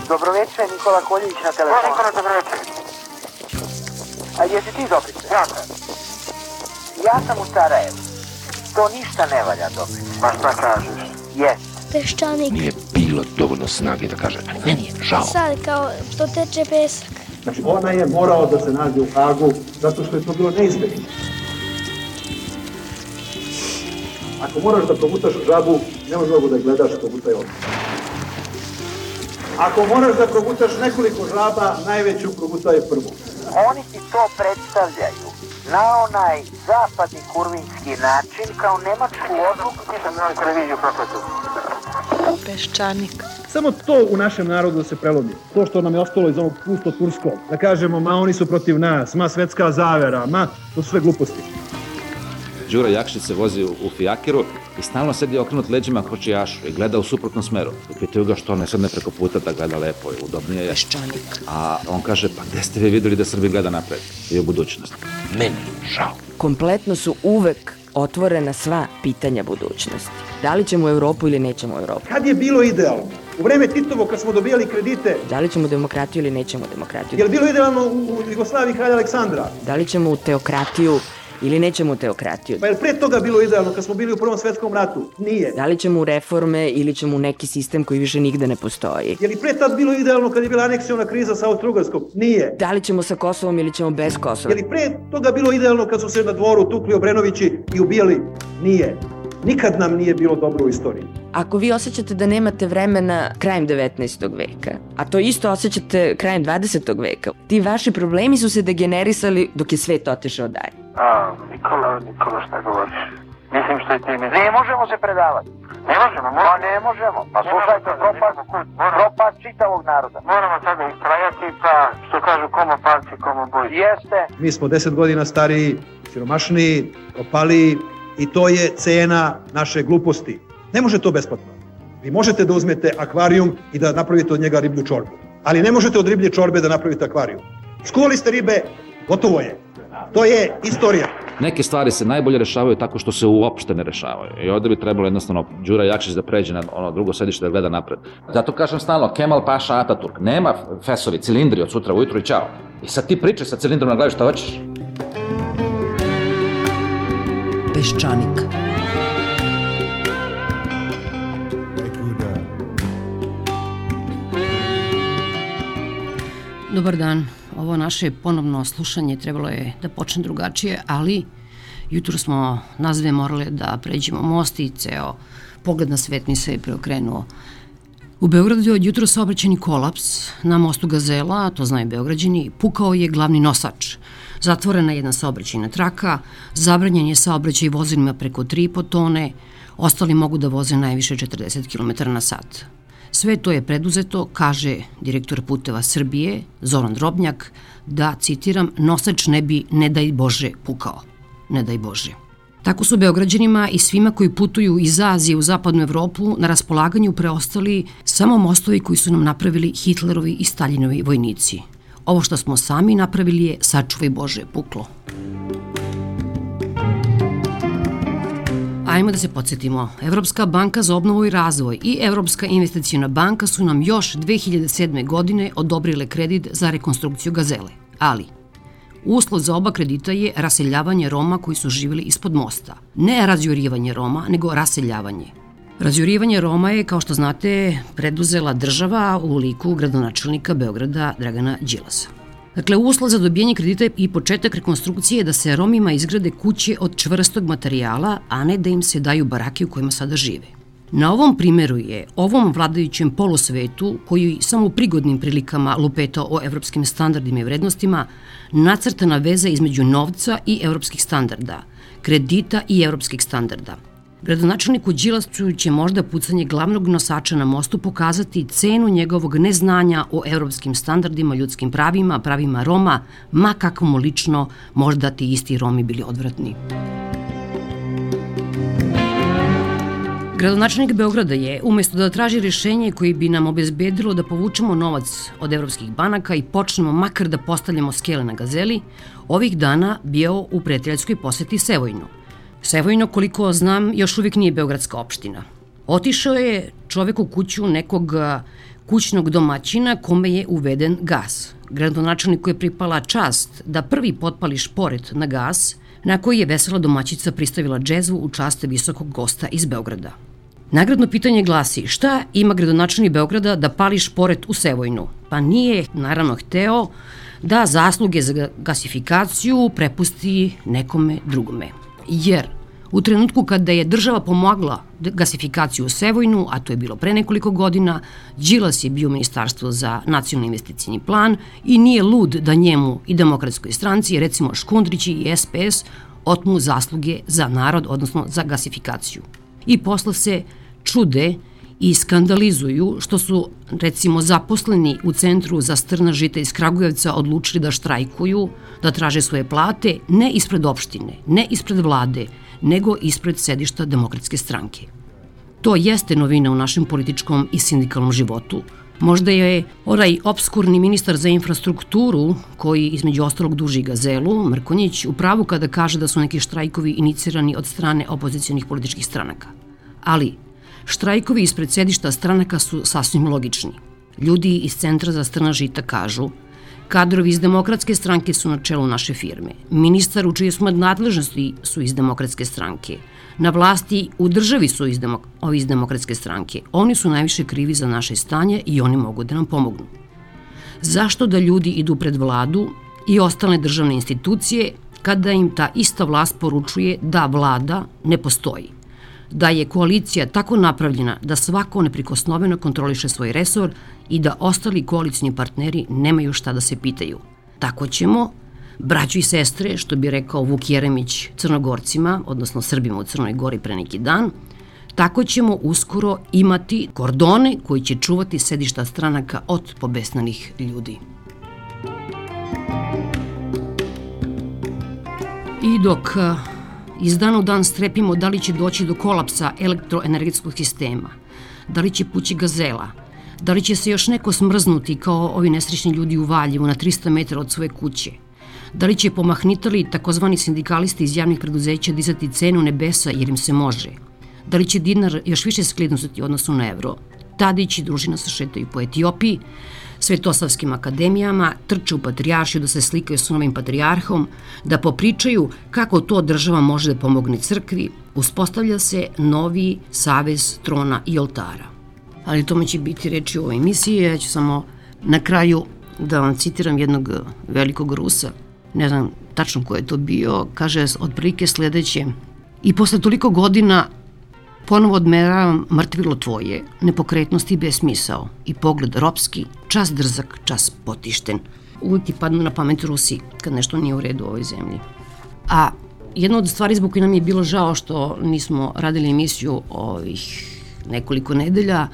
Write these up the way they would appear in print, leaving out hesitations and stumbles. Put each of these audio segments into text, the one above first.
Dobroveče, Nikola Koljević na telefonu. Nikola, dobroveče. A jesi ti Dobrice? Ja sam. Ja sam u Sarajevu. To ništa ne valja, Dobrice. Ma šta kažeš? Jes. Peščanik. Nije bilo dovoljno snage da kaže, meni je žao. Sad kao što teče pesak. Znači, ona je morao da se nađe u Hagu zato što je to bilo neizbježno. Ako moraš da progutaš žabu, ne možeš mogu da gledaš progutaj ovdje. Ako moraš da progutaš nekoliko žaba, najveću progutaj prvu. Oni ti to predstavljaju na onaj zapadni kurvinski način kao nemačku odluku. Nisam na televiziju kako je to. Peščanik. Samo to u našem narodu da se prelomi. To što nam je ostalo iz onog pusto turskog. Da kažemo, ma oni su protiv nas, ma svetska zavera, ma to su sve gluposti. Đura Jakšić se vozi u fijakiru i stalno sedi okrenut leđima kočijašu i gleda u suprotnom smeru. I pitaju ga što ne sedne preko puta da gleda lepo i udobnije je. Peščanik. A on kaže, pa gde ste vi videli da Srbi gleda napred i u budućnost? Meni žao. Kompletno su uvek otvorena sva pitanja budućnosti. Da li ćemo u Evropu ili nećemo u Evropu? Kad je bilo idealno? U vreme Titovo kad smo dobijali kredite. Da li ćemo demokratiju ili nećemo demokratiju? Je li bilo idealno u Jugoslaviji kralja Aleksandra? Da li ćemo u teokratiju ili nećemo u teokratiju? Pa je li pre toga bilo idealno kad smo bili u Prvom svetskom ratu? Nije. Da li ćemo u reforme ili ćemo u neki sistem koji više nigde ne postoji? Je li pre tad bilo idealno kad je bila aneksiona kriza sa Austro-Ugarskom? Nije. Da li ćemo sa Kosovom ili ćemo bez Kosova? Je li pre toga bilo idealno kad su se na dvoru tukli Obrenovići i ubijali? Nije. Nikad nam nije bilo dobro u istoriji. Ako vi osjećate da nemate vremena krajem 19. veka, a to isto osjećate krajem 20. veka, ti vaši problemi su se degenerisali dok je svet otišao dalje. Nikola, šta govoriš? Mislim što je ti mislim. Ne možemo se predavati. Ne možemo, Pa ne možemo. Pa slušajte, propad čitavog naroda. Moramo sada istrajati, pa što kažu komo palci, komo boj. Jeste. Mi smo 10 godina stariji, siromašniji, propaliji i to je cena naše gluposti. Ne može to besplatno. Vi možete da uzmete akvarijum i da napravite od njega riblju čorbu. Ali ne možete od riblje čorbe da napravite akvarijum. Skuvali ste ribe, gotovo je. To je istorija. Neke stvari se najbolje rešavaju tako što se uopšte ne rešavaju. I ovde bi trebalo jednostavno Đura Jakšić da pređe na ono drugo sedište da gleda napred. Zato kažem stalno, Kemal Paša Ataturk, nema fesovi, cilindri od sutra ujutru i čao. I sad ti pričaj sa cilindrom na glavi šta hoćeš. Peščanik. Dobar dan. Ovo naše ponovno slušanje trebalo je da počne drugačije, ali jutro smo nas dve morale da pređemo most i ceo pogled na svet mi se preokrenuo. U Beogradu je od jutro saobraćajni kolaps na mostu Gazela, to znaju Beograđani, pukao je glavni nosač. Zatvorena je jedna saobraćajna traka, zabranjen je saobraćaj vozilima preko 3,5 tone, ostali mogu da voze najviše 40 km na sat. Sve to je preduzeto, kaže direktor Puteva Srbije, Zoran Drobnjak, da, citiram, nosač ne bi, ne daj Bože, pukao. Ne daj Bože. Tako su Beograđanima i svima koji putuju iz Azije u zapadnu Evropu na raspolaganju preostali samo mostovi koji su nam napravili Hitlerovi i Staljinovi vojnici. Ovo što smo sami napravili je, sačuvaj Bože, puklo. Ajmo da se podsjetimo. Evropska banka za obnovu i razvoj i Evropska investiciona banka su nam još 2007. godine odobrile kredit za rekonstrukciju Gazele. Ali, uslov za oba kredita je raseljavanje Roma koji su živjeli ispod mosta. Ne razjurivanje Roma, nego raseljavanje. Razjurivanje Roma je, kao što znate, preduzela država u liku gradonačelnika Beograda Dragana Đilasa. Dakle, uslov za dobijanje kredita i početak rekonstrukcije je da se Romima izgrade kuće od čvrstog materijala, a ne da im se daju barake u kojima sada žive. Na ovom primeru je ovom vladajućem polosvetu, koji samo u prigodnim prilikama lupeta o evropskim standardima i vrednostima, nacrtana veza između novca i evropskih standarda, kredita i evropskih standarda. Gradonačelniku Đilasu će možda pucanje glavnog nosača na mostu pokazati cenu njegovog neznanja o evropskim standardima, ljudskim pravima, pravima Roma, ma kako mu lično možda ti isti Romi bili odvratni. Gradonačelnik Beograda je, umesto da traži rešenje koje bi nam obezbedilo da povučemo novac od evropskih banaka i počnemo makar da postavljamo skele na Gazeli, ovih dana bio u prijateljskoj poseti Sevojnu. Sevojno, koliko znam, još uvijek nije beogradska opština. Otišao je čovek u kuću nekog kućnog domaćina kome je uveden gas. Gradonačelniku je pripala čast da prvi potpali šporet na gas, na koji je vesela domaćica pristavila džezvu u čast visokog gosta iz Beograda. Nagradno pitanje glasi: šta ima gradonačelnik Beograda da pali šporet u Sevojnu? Pa nije, naravno, hteo da zasluge za gasifikaciju prepusti nekome drugome. Jer u trenutku kada je država pomogla gasifikaciju u Sevojnu, a to je bilo pre nekoliko godina, Đilas je bio Ministarstvo za nacionalni investicijni plan i nije lud da njemu i Demokratskoj stranci, recimo Škundrić i SPS, otmu zasluge za narod, odnosno za gasifikaciju. I posle se čude i skandalizuju što su, recimo, zaposleni u Centru za strna žita iz Kragujevca odlučili da štrajkuju, da traže svoje plate, ne ispred opštine, ne ispred vlade, nego ispred sedišta Demokratske stranke. To jeste novina u našem političkom i sindikalnom životu. Možda je onaj obskurni ministar za infrastrukturu, koji između ostalog duži Gazelu, Mrkonjić, u pravu kada kaže da su neki štrajkovi inicirani od strane opozicijonih političkih stranaka. Ali štrajkovi ispred sedišta stranaka su sasvim logični. Ljudi iz Centra za strna žita kažu: kadrovi iz Demokratske stranke su na čelu naše firme. Ministar u čije su nadležnosti su iz Demokratske stranke. Na vlasti u državi su iz Demokratske stranke. Oni su najviše krivi za naše stanje i oni mogu da nam pomognu. Zašto da ljudi idu pred vladu i ostale državne institucije kada im ta ista vlast poručuje da vlada ne postoji? Da je koalicija tako napravljena da svako neprikosnoveno kontroliše svoj resor i da ostali koalicioni partneri nemaju šta da se pitaju. Tako ćemo, braćo i sestre, što bi rekao Vuk Jeremić Crnogorcima, odnosno Srbima u Crnoj Gori pre neki dan, tako ćemo uskoro imati kordone koji će čuvati sedišta stranaka od pobesnanih ljudi. I dok iz dana u dan strepimo da li će doći do kolapsa elektroenergetskog sistema, da li će pući Gazela, da li će se još neko smrznuti kao ovi nesrećni ljudi u Valjevu na 300 metara od svoje kuće, da li će pomahnitali takozvani sindikalisti iz javnih preduzeća dizati cenu nebesa jer im se može, da li će dinar još više skliznuti u odnosu na evro. Tadić i družina se šetaju po Etiopiji, svetosavskim akademijama, trče u patrijaršiju da se slikaju s novim patrijarhom, da popričaju kako to država može da pomogne crkvi. Uspostavlja se novi savez trona i oltara. Ali tome će biti reči u ovoj emisiji. Ja ću samo na kraju da vam citiram jednog velikog Rusa, ne znam tačno ko je to bio, kaže otprilike sledeće: i posle toliko godina ponovo odmeravam mrtvilo tvoje, nepokretnosti i besmisao, i pogled ropski, čas drzak, čas potišten. Uvijek ti padnu na pamet Rusi kad nešto nije u redu u ovoj zemlji. A jedna od stvari zbog koje nam je bilo žao što nismo radili emisiju ovih nekoliko nedelja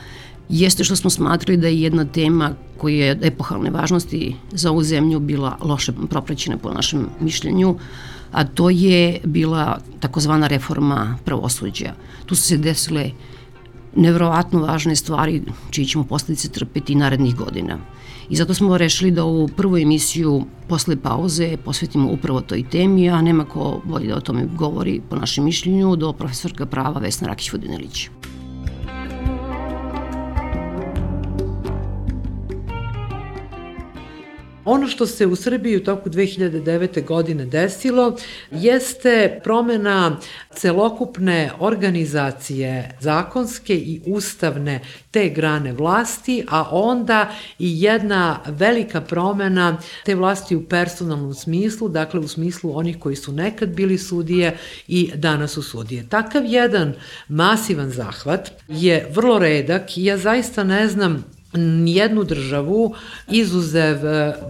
jeste što smo smatrali da je jedna tema koja je epohalne važnosti za ovu zemlju bila loše propraćena po našem mišljenju, a to je bila takozvana reforma pravosuđa. Tu su se desile neverovatno važne stvari čiji ćemo posledice trpeti narednih godina. I zato smo rešili da ovu prvu emisiju posle pauze posvetimo upravo toj temi, a nema ko bolje da o tome govori po našem mišljenju do profesorka prava Vesna Rakić-Vodinelić. Ono što se u Srbiji u toku 2009. godine desilo jeste promena celokupne organizacije zakonske i ustavne te grane vlasti, a onda i jedna velika promena te vlasti u personalnom smislu, dakle u smislu onih koji su nekad bili sudije i danas su sudije. Takav jedan masivan zahvat je vrlo redak i ja zaista ne znam nijednu državu, izuzev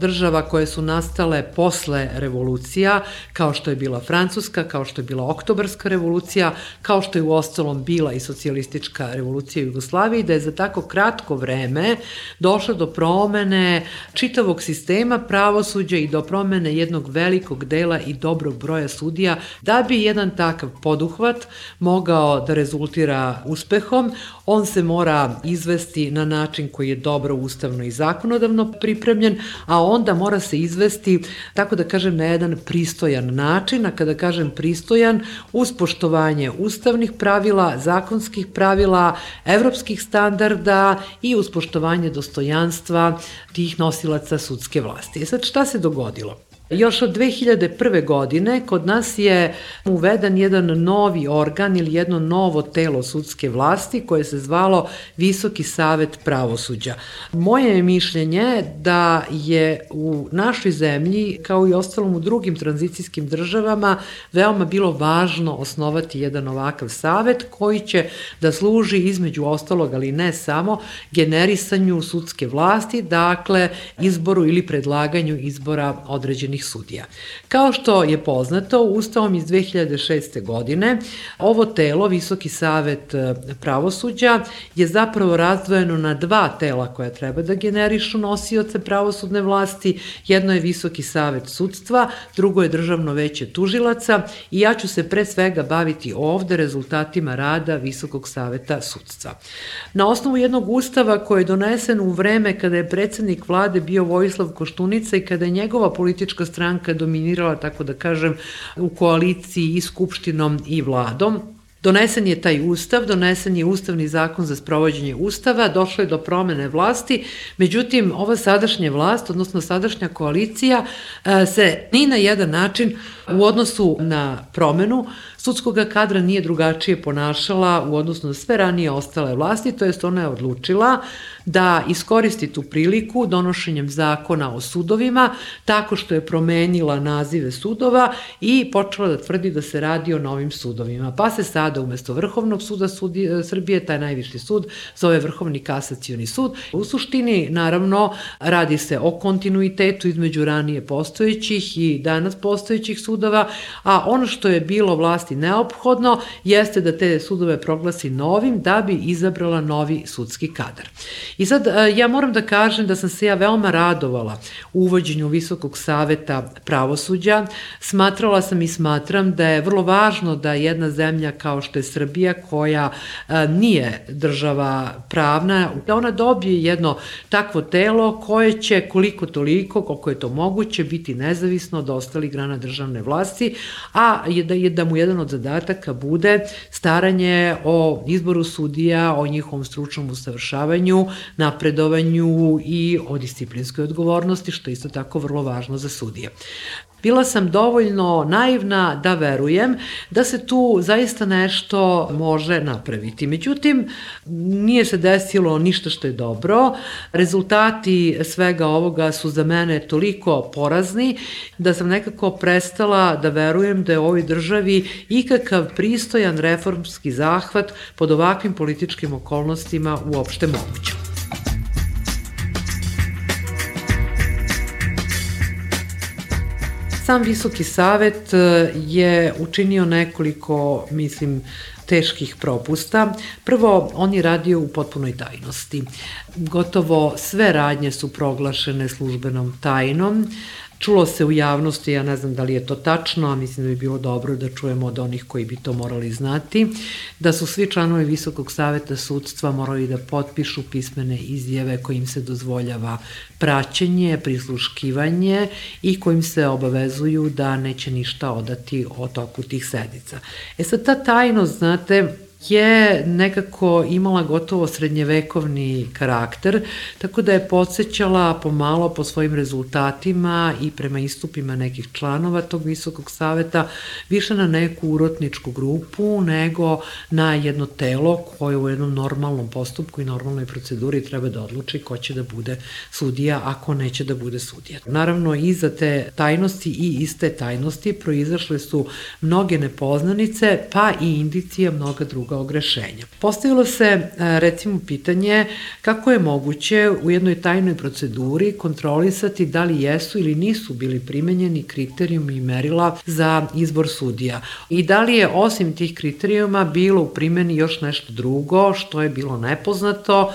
država koje su nastale posle revolucija, kao što je bila Francuska, kao što je bila Oktobarska revolucija, kao što je uostalom bila i socijalistička revolucija u Jugoslaviji, da je za tako kratko vreme došlo do promene čitavog sistema pravosuđa i do promene jednog velikog dela i dobrog broja sudija. Da bi jedan takav poduhvat mogao da rezultira uspehom, on se mora izvesti na način koji je dobro ustavno i zakonodavno pripremljen, a onda mora se izvesti, tako da kažem, na jedan pristojan način, a kada kažem pristojan, uz poštovanje ustavnih pravila, zakonskih pravila, evropskih standarda i uz poštovanje dostojanstva tih nosilaca sudske vlasti. Sad, šta se dogodilo? Još od 2001. godine kod nas je uveden jedan novi organ ili jedno novo telo sudske vlasti koje se zvalo Visoki savet pravosuđa. Moje je mišljenje da je u našoj zemlji, kao i ostalom u drugim tranzicijskim državama, veoma bilo važno osnovati jedan ovakav savet koji će da služi između ostalog, ali ne samo, generisanju sudske vlasti, dakle izboru ili predlaganju izbora određenih sudija. Kao što je poznato, Ustavom iz 2006. godine ovo telo, Visoki savet pravosuđa, je zapravo razdvojeno na dva tela koja treba da generišu nosioce pravosudne vlasti. Jedno je Visoki savet sudstva, drugo je Državno veće tužilaca i ja ću se pre svega baviti ovde rezultatima rada Visokog saveta sudstva. Na osnovu jednog ustava koji je donesen u vreme kada je predsednik vlade bio Vojislav Koštunica i kada je njegova politička stranka dominirala, tako da kažem, u koaliciji i skupštinom i vladom. Donesen je taj ustav, donesen je ustavni zakon za sprovođenje ustava, došlo je do promene vlasti, međutim, ova sadašnja vlast, odnosno sadašnja koalicija, se ni na jedan način u odnosu na promenu sudskog kadra nije drugačije ponašala u odnosu na sve ranije ostale vlasti, to jest ona je odlučila da iskoristi tu priliku donošenjem zakona o sudovima, tako što je promenila nazive sudova i počela da tvrdi da se radi o novim sudovima. Pa se sada umesto Vrhovnog suda Srbije, taj najviši sud, zove Vrhovni kasacioni sud. U suštini, naravno, radi se o kontinuitetu između ranije postojećih i danas postojećih sudova, a ono što je bilo vlasti neophodno jeste da te sudove proglasi novim da bi izabrala novi sudski kadar. I sad ja moram da kažem da sam se ja veoma radovala u uvođenju Visokog saveta pravosuđa. Smatrala sam i smatram da je vrlo važno da jedna zemlja kao što je Srbija, koja nije država pravna, da ona dobije jedno takvo telo koje će koliko toliko, koliko je to moguće, biti nezavisno od ostalih grana državne vlasti, a da mu jedan od zadataka bude staranje o izboru sudija, o njihovom stručnom usavršavanju, napredovanju i o disciplinskoj odgovornosti, što je isto tako vrlo važno za sudije. Bila sam dovoljno naivna da verujem da se tu zaista nešto može napraviti. Međutim, nije se desilo ništa što je dobro. Rezultati svega ovoga su za mene toliko porazni da sam nekako prestala da verujem da je u ovoj državi ikakav pristojan reformski zahvat pod ovakvim političkim okolnostima uopšte moguć. Sam Visoki savet je učinio nekoliko, mislim, teških propusta. Prvo, on je radio u potpunoj tajnosti. Gotovo sve radnje su proglašene službenom tajnom. Čulo se u javnosti, ja ne znam da li je to tačno, a mislim da bi bilo dobro da čujemo od onih koji bi to morali znati, da su svi članovi Visokog saveta sudstva morali da potpišu pismene izjave kojim se dozvoljava praćenje, prisluškivanje i kojim se obavezuju da neće ništa odati o toku tih sednica. Sad, ta tajnost, znate, je nekako imala gotovo srednjevekovni karakter, tako da je podsjećala pomalo po svojim rezultatima i prema istupima nekih članova tog Visokog saveta više na neku urotničku grupu nego na jedno telo koje u jednom normalnom postupku i normalnoj proceduri treba da odluči ko će da bude sudija, ako neće da bude sudija. Naravno, iza te tajnosti i iz te tajnosti proizašle su mnoge nepoznanice, pa i indicije mnoga druga ogrešenja. Postavilo se, recimo, pitanje kako je moguće u jednoj tajnoj proceduri kontrolisati da li jesu ili nisu bili primenjeni kriterijumi i merila za izbor sudija i da li je osim tih kriterijuma bilo u primeni još nešto drugo što je bilo nepoznato,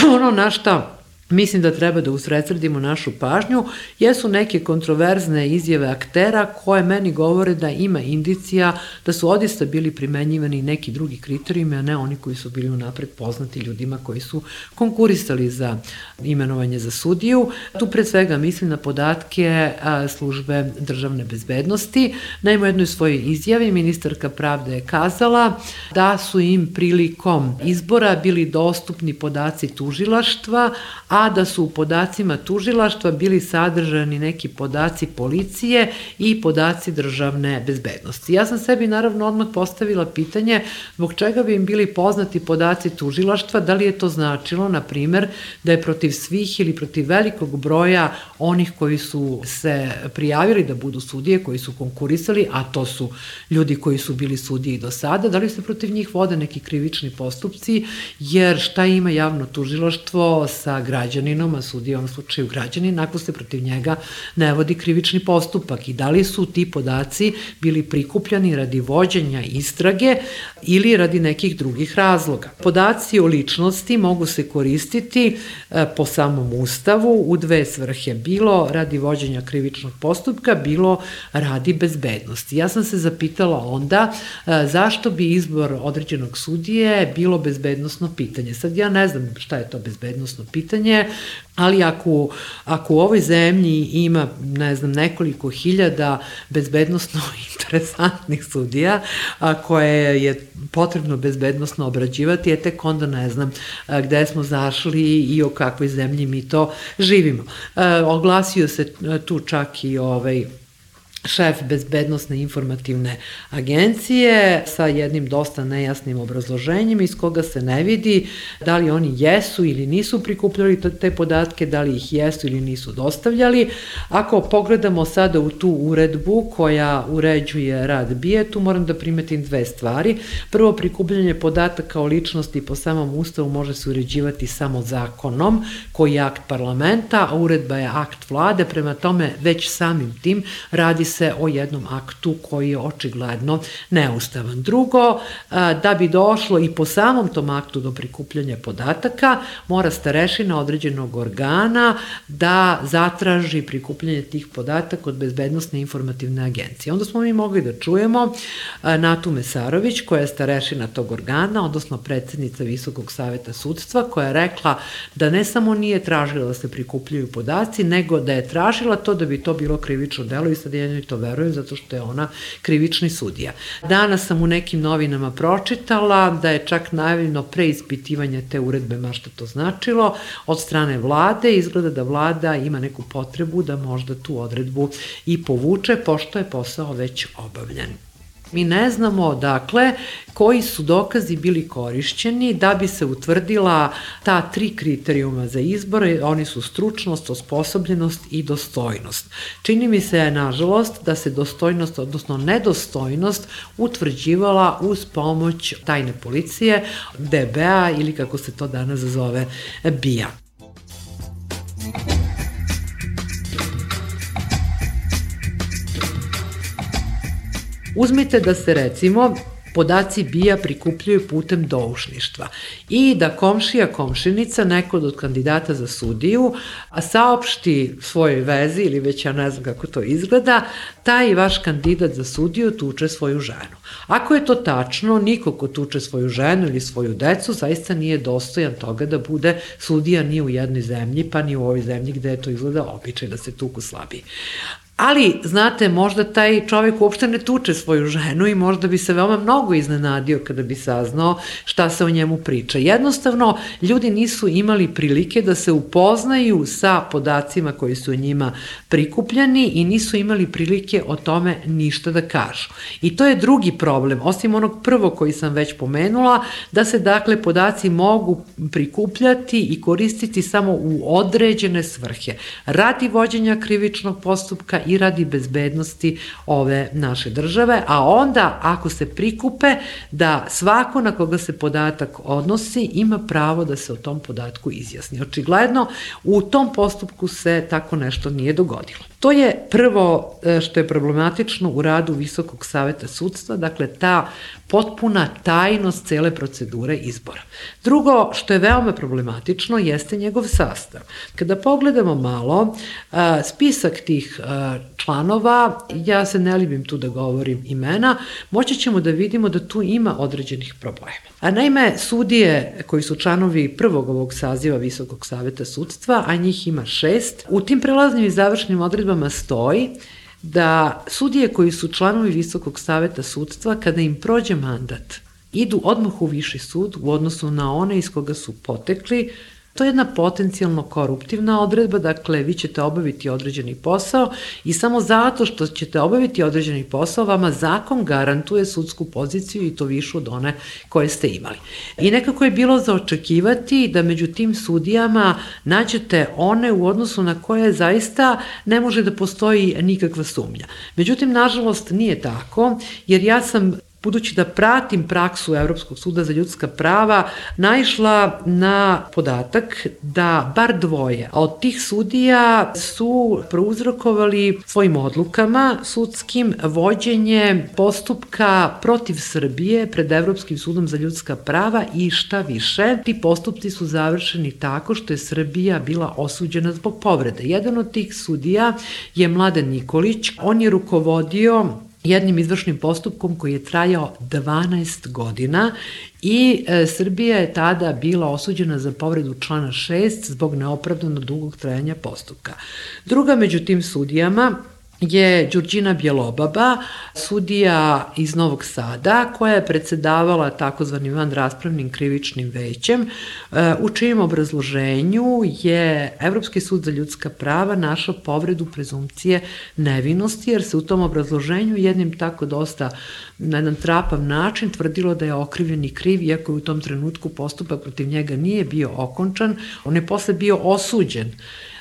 ono na šta mislim da treba da usredsredimo našu pažnju, jesu neke kontroverzne izjave aktera koje meni govore da ima indicija da su odista bili primenjivani neki drugi kriterijumi, a ne oni koji su bili unapred poznati ljudima koji su konkurisali za imenovanje za sudiju. Tu pre svega mislim na podatke službe državne bezbednosti. Naime, u jednoj svojoj izjavi ministarka pravde je kazala da su im prilikom izbora bili dostupni podaci tužilaštva, a da su u podacima tužilaštva bili sadržani neki podaci policije i podaci državne bezbednosti. Ja sam sebi naravno odmah postavila pitanje zbog čega bi im bili poznati podaci tužilaštva, da li je to značilo, na primer, da je protiv svih ili protiv velikog broja onih koji su se prijavili da budu sudije, koji su konkurisali, a to su ljudi koji su bili sudije i do sada, da li se protiv njih vode neki krivični postupci, jer šta ima javno tužilaštvo sa građaninom, a sudija u ovom slučaju građanin, ako se protiv njega ne vodi krivični postupak i da li su ti podaci bili prikupljani radi vođenja istrage ili radi nekih drugih razloga. Podaci o ličnosti mogu se koristiti po samom Ustavu u dve svrhe, bilo radi vođenja krivičnog postupka, bilo radi bezbednosti. Ja sam se zapitala onda zašto bi izbor određenog sudije bilo bezbednosno pitanje. Sad ja ne znam šta je to bezbednosno pitanje, ali ako u ovoj zemlji ima, ne znam, nekoliko hiljada bezbednosno interesantnih sudija koje je potrebno bezbednosno obrađivati, tek onda ne znam gde smo zašli i o kakvoj zemlji mi to živimo. Oglasio se tu čak i šef bezbednosne informativne agencije sa jednim dosta nejasnim obrazloženjem iz koga se ne vidi da li oni jesu ili nisu prikupljali te podatke, da li ih jesu ili nisu dostavljali. Ako pogledamo sada u tu uredbu koja uređuje rad BIA, tu moram da primetim dve stvari. Prvo, prikupljanje podataka o ličnosti po samom Ustavu može se uređivati samo zakonom, koji je akt parlamenta, a uredba je akt vlade, prema tome već samim tim radi se o jednom aktu koji je očigledno neustavan. Drugo, da bi došlo i po samom tom aktu do prikupljanja podataka, mora starešina određenog organa da zatraži prikupljanje tih podataka od Bezbednosne informativne agencije. Onda smo mi mogli da čujemo Natu Mesarović, koja je starešina tog organa, odnosno predsednica Visokog saveta sudstva, koja je rekla da ne samo nije tražila da se prikupljaju podaci, nego da je tražila to da bi to bilo krivično delo i sad ja to verujem zato što je ona krivični sudija. Danas sam u nekim novinama pročitala da je čak najavljeno preispitivanje te uredbe, ma šta to značilo, od strane vlade. Izgleda da vlada ima neku potrebu da možda tu odredbu i povuče, pošto je posao već obavljen. Mi ne znamo, dakle, koji su dokazi bili korišćeni da bi se utvrdila ta 3 kriterijuma za izbor, oni su stručnost, osposobljenost i dostojnost. Čini mi se, nažalost, da se dostojnost, odnosno nedostojnost, utvrđivala uz pomoć tajne policije, DB-a ili kako se to danas zove BIA. Uzmite da se, recimo, podaci BIA prikupljaju putem doušništva i da komšija, komšinica, neko od kandidata za sudiju, saopšti svojoj vezi ili već ja ne znam kako to izgleda, taj vaš kandidat za sudiju tuče svoju ženu. Ako je to tačno, niko ko tuče svoju ženu ili svoju decu zaista nije dostojan toga da bude sudija ni u jednoj zemlji, pa ni u ovoj zemlji gde je to izgleda običaj da se tuku slabiji. Ali, znate, možda taj čovek uopšte ne tuče svoju ženu i možda bi se veoma mnogo iznenadio kada bi saznao šta se o njemu priča. Jednostavno, ljudi nisu imali prilike da se upoznaju sa podacima koji su o njima prikupljeni i nisu imali prilike o tome ništa da kažu. I to je drugi problem, osim onog prvog koji sam već pomenula, da se, dakle, podaci mogu prikupljati i koristiti samo u određene svrhe, radi vođenja krivičnog postupka i radi bezbednosti ove naše države, a onda ako se prikupe da svako na koga se podatak odnosi ima pravo da se o tom podatku izjasni. Očigledno u tom postupku se tako nešto nije dogodilo. To je prvo što je problematično u radu Visokog saveta sudstva, dakle ta potpuna tajnost cele procedure izbora. Drugo što je veoma problematično jeste njegov sastav. Kada pogledamo malo spisak tih članova, ja se ne libim tu da govorim imena, moći ćemo da vidimo da tu ima određenih problema. A naime, sudije koji su članovi prvog ovog saziva Visokog saveta sudstva, a njih ima 6, u tim prelaznim i završnim odredbama stoji da sudije koji su članovi Visokog saveta sudstva, kada im prođe mandat, idu odmah u viši sud u odnosu na one iz koga su potekli. To je jedna potencijalno koruptivna odredba, dakle vi ćete obaviti određeni posao i samo zato što ćete obaviti određeni posao vama zakon garantuje sudsku poziciju i to višu od one koje ste imali. I nekako je bilo za očekivati da među tim sudijama nađete one u odnosu na koje zaista ne može da postoji nikakva sumnja. Međutim, nažalost nije tako, jer ja sam budući da pratim praksu Evropskog suda za ljudska prava, naišla na podatak da bar dvoje od tih sudija su prouzrokovali svojim odlukama sudskim vođenje postupka protiv Srbije pred Evropskim sudom za ljudska prava i šta više, ti postupci su završeni tako što je Srbija bila osuđena zbog povrede. Jedan od tih sudija je Mladen Nikolić, on je rukovodio jednim izvršnim postupkom koji je trajao 12 godina i Srbija je tada bila osuđena za povredu člana 6 zbog neopravdano dugog trajanja postupka. Druga među tim sudijama je Đurđina Bjelobaba, sudija iz Novog Sada, koja je predsedavala takozvanim vanraspravnim krivičnim većem, u čijem obrazloženju je Evropski sud za ljudska prava našao povredu prezumpcije nevinosti, jer se u tom obrazloženju jednim tako dosta na jedan trapav način tvrdilo da je okrivljeni kriv, iako je u tom trenutku postupak protiv njega nije bio okončan, on je posle bio osuđen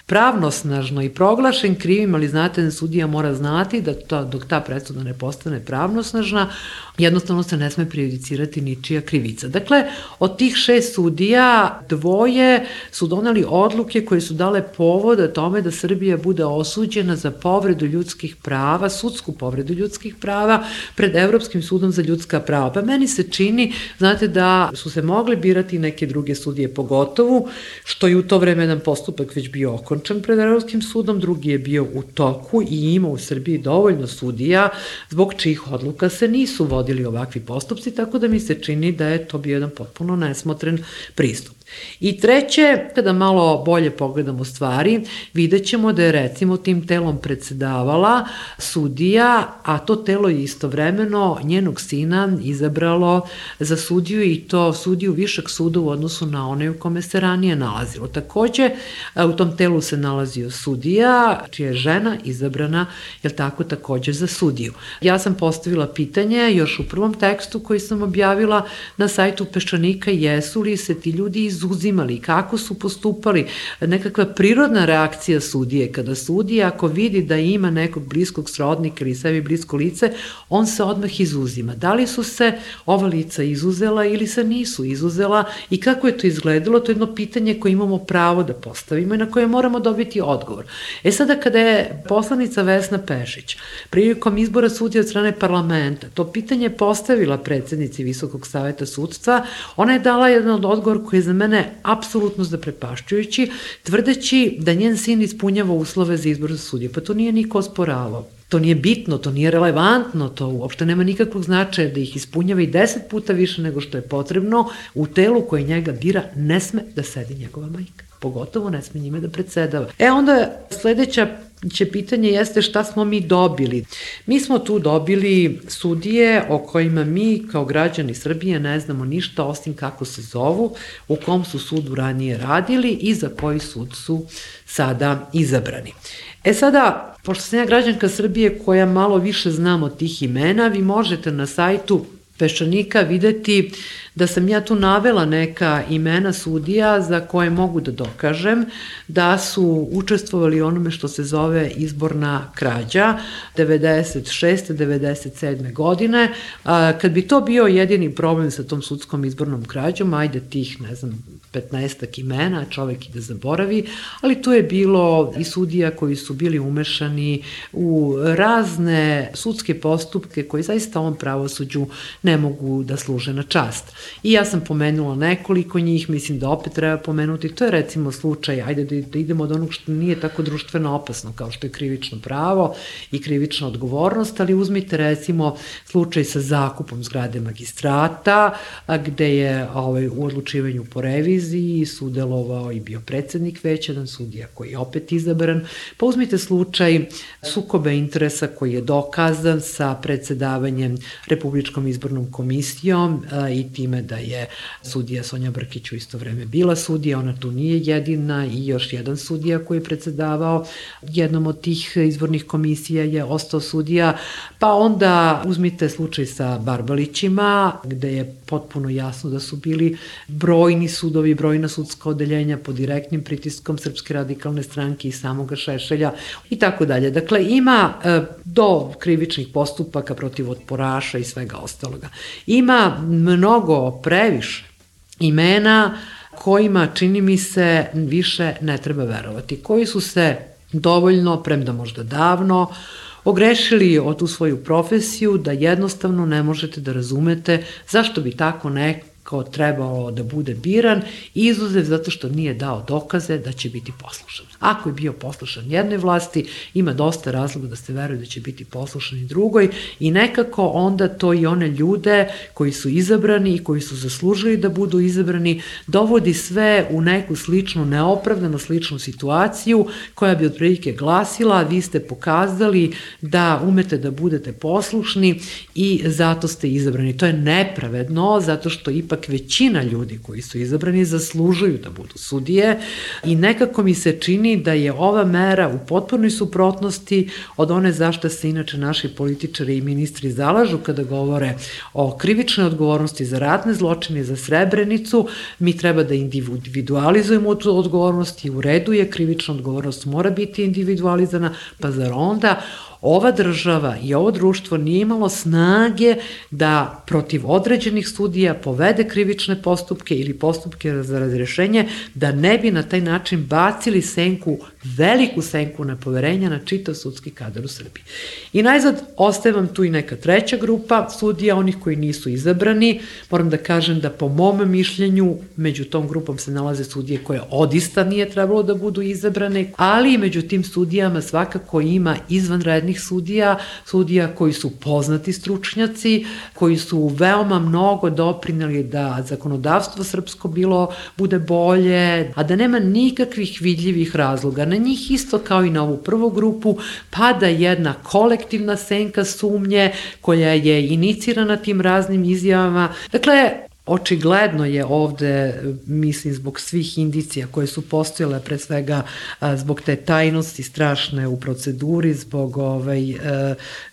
pravnosnažno i proglašen krivim, ali znate da sudija mora znati da dok ta presuda ne postane pravnosnažna, jednostavno se ne sme prejudicirati ničija krivica. Dakle, od tih 6 sudija, dvoje su doneli odluke koje su dale povoda tome da Srbija bude osuđena za povredu ljudskih prava, sudsku povredu ljudskih prava pred Evropskim sudom za ljudska prava. Pa meni se čini, znate, da su se mogli birati neke druge sudije, pogotovo što je u to vreme jedan postupak već bio okončan pred Evropskim sudom, drugi je bio u toku i ima u Srbiji dovoljno sudija zbog čijih odluka se nisu vodili ovakvi postupci, tako da mi se čini da je to bio jedan potpuno nesmotren pristup. I treće, kada malo bolje pogledamo stvari, vidjet ćemo da je recimo tim telom predsedavala sudija, a to telo je istovremeno njenog sina izabralo za sudiju i to sudiju višeg suda u odnosu na one u kome se ranije nalazilo. Takođe, u tom telu se nalazio sudija, čija je žena izabrana, jel tako, takođe za sudiju. Ja sam postavila pitanje još u prvom tekstu koji sam objavila na sajtu Peščanika, jesu li se ti ljudi izuzimali, kako su postupali, nekakva prirodna reakcija sudije, kada sudija ako vidi da ima nekog bliskog srodnika ili sebi blisko lice, on se odmah izuzima. Da li su se ova lica izuzela ili se nisu izuzela i kako je to izgledalo, to je jedno pitanje koje imamo pravo da postavimo i na koje moramo dobiti odgovor. Sada kada je poslanica Vesna Pešić prilikom izbora sudija od strane parlamenta to pitanje postavila predsednici Visokog saveta sudstva, ona je dala jedan od odgovor koji je za mene apsolutno zaprepašćujući, tvrdeći da njen sin ispunjava uslove za izbor za sudiju. Pa to nije niko osporavao. To nije bitno, to nije relevantno, to uopšte nema nikakvog značaja da ih ispunjava i 10 puta više nego što je potrebno. U telu koje njega bira ne sme da sedi njegova majka. Pogotovo ne sme njime da predsedava. Onda sledeća pitanje jeste šta smo mi dobili. Mi smo tu dobili sudije o kojima mi kao građani Srbije ne znamo ništa osim kako se zovu, u kom su sudu ranije radili i za koji sud su sada izabrani. Sada, pošto sam ja građanka Srbije koja malo više znam od tih imena, vi možete na sajtu Peščanika videti da sam ja tu navela neka imena sudija za koje mogu da dokažem da su učestvovali u onome što se zove izborna krađa 96. 97. godine. Kad bi to bio jedini problem sa tom sudskom izbornom krađom, ajde tih, 15 imena, čovek i da zaboravi, ali tu je bilo i sudija koji su bili umešani u razne sudske postupke koji zaista ovom pravosuđu ne mogu da služe na čast. I ja sam pomenula nekoliko njih, mislim da opet treba pomenuti, to je recimo slučaj, ajde da idemo od onog što nije tako društveno opasno kao što je krivično pravo i krivična odgovornost, ali uzmite recimo slučaj sa zakupom zgrade magistrata, gde je u odlučivanju po reviziji sudelovao i bio predsednik veća, jedan sudija koji je opet izabran, pa uzmite slučaj sukoba interesa koji je dokazan sa predsedavanjem Republičkom izbornom komisijom i time da je sudija Sonja Brkić u isto vreme bila sudija, ona tu nije jedina i još jedan sudija koji je predsedavao jednom od tih izbornih komisija je ostao sudija, pa onda uzmite slučaj sa Barbalićima gde je potpuno jasno da su bili brojni sudovi, brojna sudska odeljenja pod direktnim pritiskom Srpske radikalne stranke i samoga Šešelja i tako dalje. Dakle, ima do krivičnih postupaka protiv otporaša i svega ostaloga. Ima mnogo previše imena kojima, čini mi se, više ne treba verovati, koji su se dovoljno, premda možda davno, ogrešili o tu svoju profesiju da jednostavno ne možete da razumete zašto bi tako neko trebalo da bude biran, izuzev zato što nije dao dokaze da će biti poslušan. Ako je bio poslušan jednoj vlasti, ima dosta razloga da se veruje da će biti poslušan i drugoj i nekako onda to i one ljude koji su izabrani i koji su zaslužili da budu izabrani dovodi sve u neku sličnu, neopravdano sličnu situaciju koja bi otprilike glasila: vi ste pokazali da umete da budete poslušni i zato ste izabrani. To je nepravedno zato što ipak većina ljudi koji su izabrani zaslužuju da budu sudije i nekako mi se čini da je ova mera u potpunoj suprotnosti od one zašto se inače naši političari i ministri zalažu kada govore o krivičnoj odgovornosti za ratne zločine, za Srebrenicu. Mi treba da individualizujemo tu odgovornost i u redu je, krivična odgovornost mora biti individualizana, pa zar onda ova država i ovo društvo nije imalo snage da protiv određenih sudija povede krivične postupke ili postupke za razrešenje, da ne bi na taj način bacili senku, veliku senku nepoverenja na čitav sudski kadar u Srbiji. I najzad ostaje vam tu i neka treća grupa sudija, onih koji nisu izabrani. Moram da kažem da po mom mišljenju među tom grupom se nalaze sudije koje odista nije trebalo da budu izabrane, ali među tim sudijama svakako ima izvanrednih sudija koji su poznati stručnjaci, koji su veoma mnogo doprineli da zakonodavstvo srpsko bude bolje, a da nema nikakvih vidljivih razloga. Na njih isto kao i na ovu prvu grupu pada jedna kolektivna senka sumnje koja je inicirana tim raznim izjavama. Dakle, očigledno je ovde, mislim, zbog svih indicija koje su postojale, pre svega zbog te tajnosti strašne u proceduri, zbog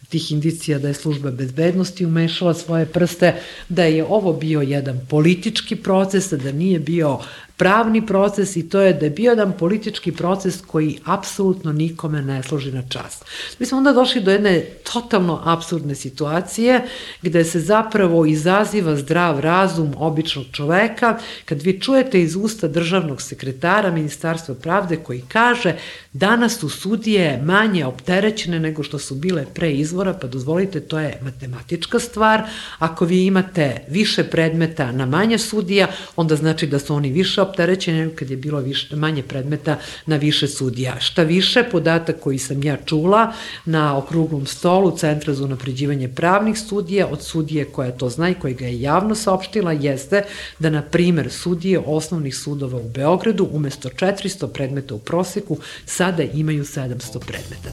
tih indicija da je služba bezbednosti umešala svoje prste, da je ovo bio jedan politički proces, da nije bio pravni proces i to je da je bio jedan politički proces koji apsolutno nikome ne služi na čast. Mi smo onda došli do jedne totalno apsurdne situacije gde se zapravo izaziva zdrav razum običnog čoveka kad vi čujete iz usta državnog sekretara Ministarstva pravde koji kaže: danas su sudije manje opterećene nego što su bile pre izbora, pa dozvolite, to je matematička stvar. Ako vi imate više predmeta na manje sudija, onda znači da su oni više opterećeni nego kad je bilo manje predmeta na više sudija. Šta više, podatak koji sam ja čula na okruglom stolu Centra za unapređivanje pravnih studija od sudije koja to zna i koja ga je javno saopštila jeste da, na primer, sudije osnovnih sudova u Beogradu umesto 400 predmeta u proseku sada imaju 700 predmeta.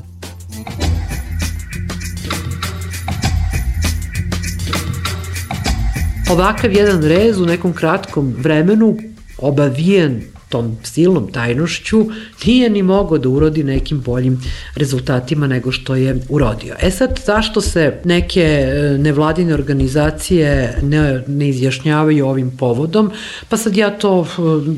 Ovakav jedan rez u nekom kratkom vremenu, obavijen tom silnom tajnošću nije ni mogao da urodi nekim boljim rezultatima nego što je urodio. Sad, zašto se neke nevladine organizacije ne izjašnjavaju ovim povodom? Pa sad ja to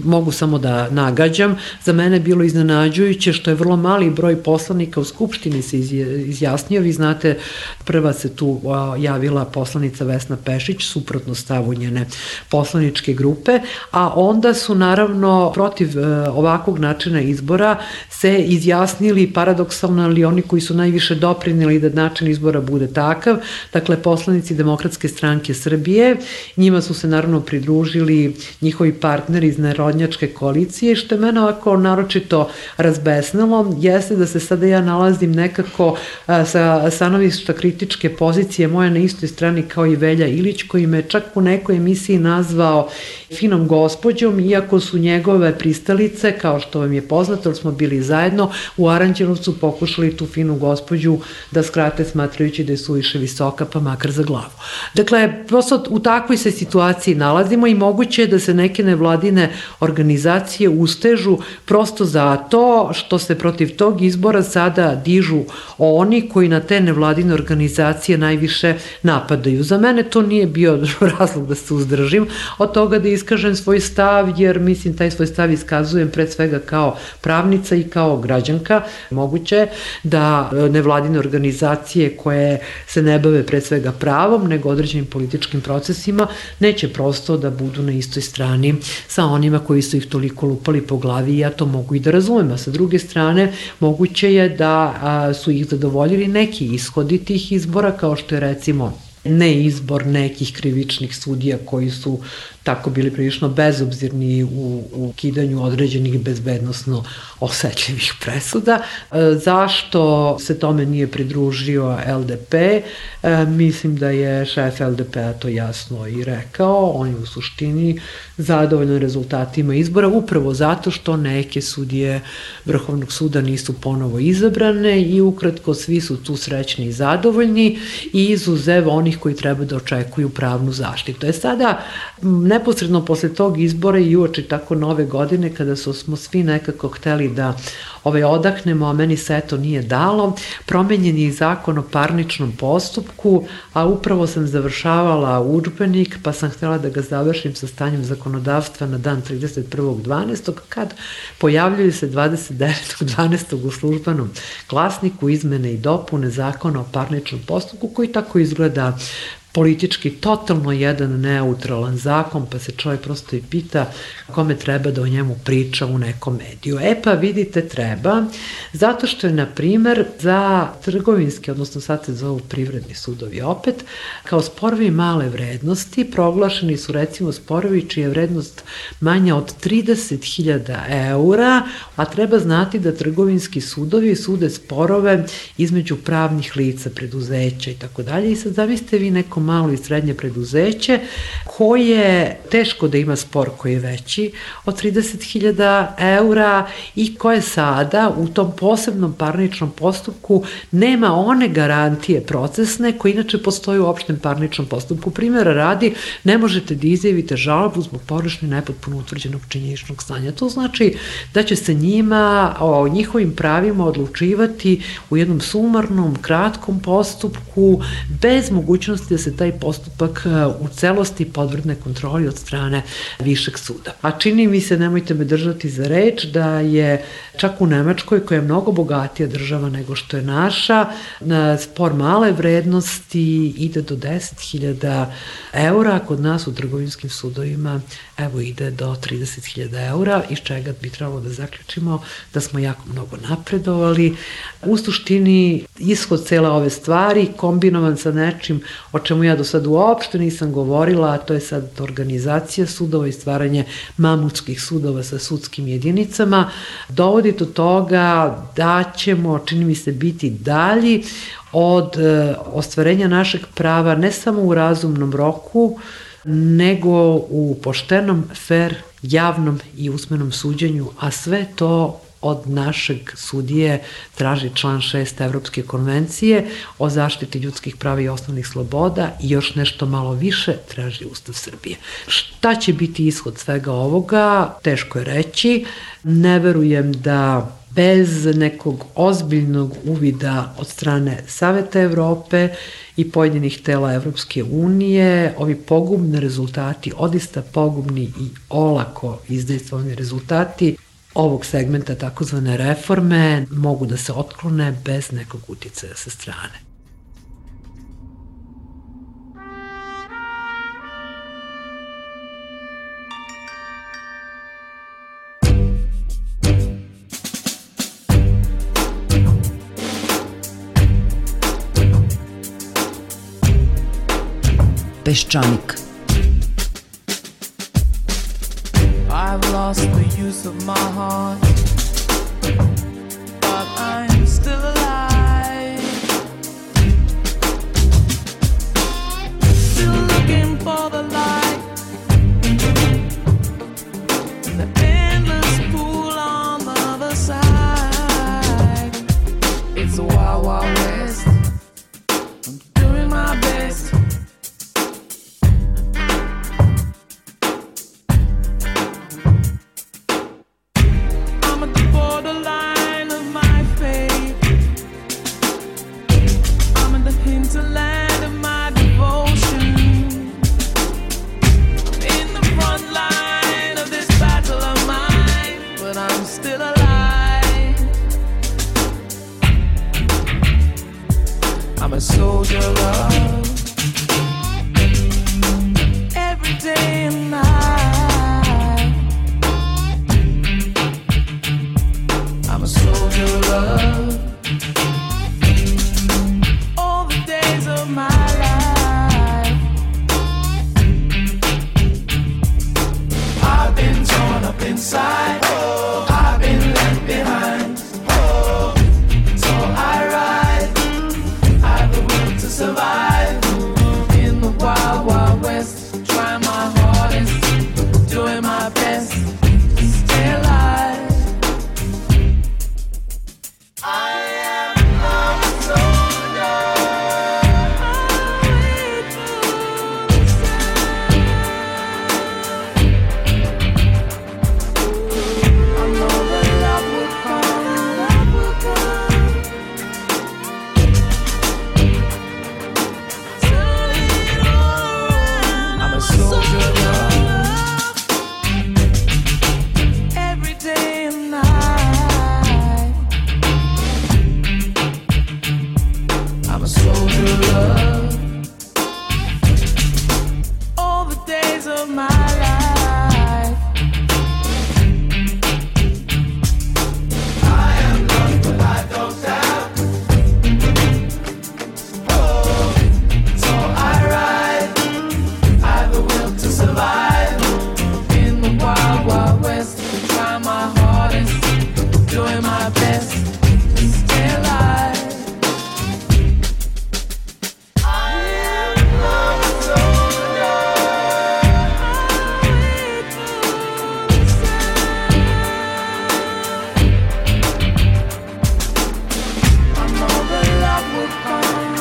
mogu samo da nagađam. Za mene je bilo iznenađujuće što je vrlo mali broj poslanika u Skupštini se izjasnio. Vi znate, prva se tu javila poslanica Vesna Pešić, suprotno stavu njene poslaničke grupe, a onda su naravno protiv ovakvog načina izbora se izjasnili paradoksalno, ali oni koji su najviše doprineli da način izbora bude takav, dakle poslanici Demokratske stranke Srbije, njima su se naravno pridružili njihovi partneri iz Narodnjačke koalicije, što je mene ovako naročito razbesnilo, jeste da se sada ja nalazim nekako sa stanovišta kritičke pozicije moje na istoj strani kao i Velja Ilić, koji me čak u nekoj emisiji nazvao finom gospođom, iako su njegove pristalice, kao što vam je poznato, jer smo bili zajedno u Aranđelovcu, pokušali tu finu gospođu da skrate, smatrajući da je suviše visoka, pa makar za glavu. Dakle, prosto u takvoj se situaciji nalazimo i moguće je da se neke nevladine organizacije ustežu prosto zato što se protiv tog izbora sada dižu oni koji na te nevladine organizacije najviše napadaju. Za mene to nije bio razlog da se uzdržim od toga da iskažem svoj stav, jer mislim taj svoj stav iskazujem pred svega kao pravnica i kao građanka. Moguće je da nevladine organizacije koje se ne bave pred svega pravom, nego određenim političkim procesima, neće prosto da budu na istoj strani sa onima koji su ih toliko lupali po glavi i ja to mogu i da razumem. A sa druge strane, moguće je da su ih zadovoljili neki ishodi tih izbora, kao što je recimo neizbor nekih krivičnih sudija koji su tako bili prilično bezobzirni u ukidanju određenih bezbednosno osetljivih presuda. Zašto se tome nije pridružio LDP? Mislim da je šef LDP-a to jasno i rekao. On je u suštini zadovoljan rezultatima izbora upravo zato što neke sudije Vrhovnog suda nisu ponovo izabrane i ukratko svi su tu srećni i zadovoljni i izuzev onih koji treba da očekuju pravnu zaštitu. Sada, neposredno posle tog izbora i uoči tako nove godine, kada smo svi nekako hteli da odahnemo, a meni se to nije dalo, promenjen je i zakon o parničnom postupku, a upravo sam završavala udžbenik, pa sam htela da ga završim sa stanjem zakonodavstva na dan 31.12. kad pojavljaju se 29.12. u Službenom glasniku izmene i dopune zakona o parničnom postupku, koji tako izgleda politički totalno jedan neutralan zakon, pa se čovjek prosto i pita kome treba da o njemu priča u nekom mediju. Pa vidite, treba, zato što je, na primer, za trgovinski, odnosno sad se zovu privredni sudovi opet, kao sporovi male vrednosti proglašeni su recimo sporovi čija je vrednost manja od 30.000 eura, a treba znati da trgovinski sudovi sude sporove između pravnih lica, preduzeća i tako dalje. I sad zamislite vi neko malo i srednje preduzeće koje teško da ima spor koji je veći od 30.000 eura i koje sada u tom posebnom parničnom postupku nema one garantije procesne koje inače postoje u opštem parničnom postupku. Primjera radi, ne možete da izjavite žalbu zbog pogrešno i nepotpuno utvrđenog činjeničnog stanja. To znači da će se njima o njihovim pravima odlučivati u jednom sumarnom, kratkom postupku bez mogućnosti da se taj postupak u celosti podvrgne kontroli od strane višeg suda. A čini mi se, nemojte me držati za reč, da je čak u Nemačkoj, koja je mnogo bogatija država nego što je naša, spor male vrednosti ide do 10.000 eura, kod nas u trgovinskim sudovima ide do 30.000 eura, iz čega bi trebalo da zaključimo da smo jako mnogo napredovali. U suštini, ishod cele ove stvari, kombinovan sa nečim o čemu ja do sad uopšte nisam govorila, a to je sad organizacija sudova i stvaranje mamutskih sudova sa sudskim jedinicama, dovodi do toga da ćemo, čini mi se, biti dalji od ostvarenja našeg prava ne samo u razumnom roku, nego u poštenom, fer, javnom i usmenom suđenju, a sve to od našeg sudije traži član 6 Evropske konvencije o zaštiti ljudskih prava i osnovnih sloboda i još nešto malo više traži Ustav Srbije. Šta će biti ishod svega ovoga, teško je reći. Ne verujem da bez nekog ozbiljnog uvida od strane Saveta Evrope i pojedinih tela Evropske unije, ovi pogubni rezultati, odista pogubni i olako izdejstvovani rezultati ovog segmenta takozvane reforme mogu da se otklone bez nekog uticaja sa strane. Peščanik. I've lost the use of my heart, but I'm still alive. Still looking for the light, the endless pool on the other side. It's a wild, wild west. I'm doing my best. A soldier of love, every day and night. I'm a soldier of love, all the days of my life. I've been torn up inside, I've been left behind, so I ride to survive in the wild, wild west. Trying my hardest, doing my best to stay alive. I am a soldier. I know that love will come, love will come. Soldier of love, every day and night. I'm a soldier of love, all the days of my life. I am lost, but I don't doubt. Oh, so I ride. To survive in the wild, wild west. Trying my hardest, doing my best to stay alive. I am a soldier. I know that love will come.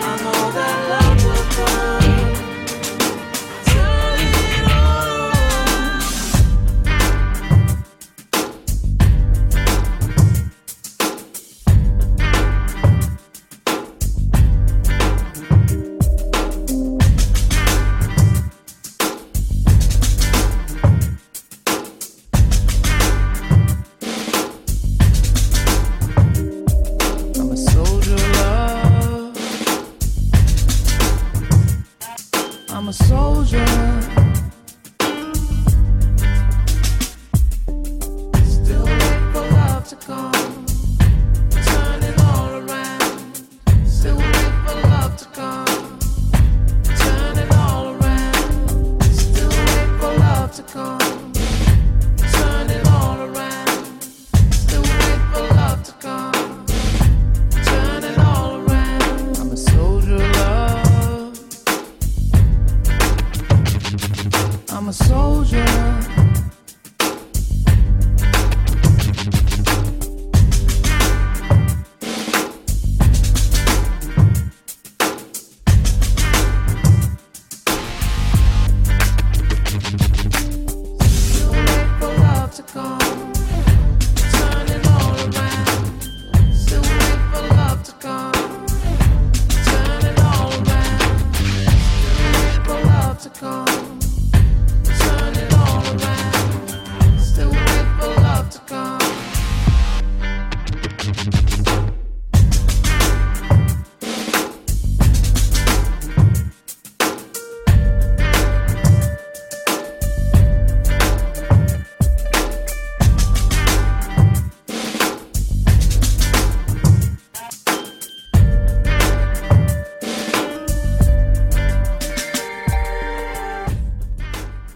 I know that love will come. I'm a soldier, still wait for love to come, turning all around. Still wait for love to come, turning all around. Still wait for love to come, turning all around. Still wait for love to come, turning all around. I'm a soldier of love. I'm a soldier.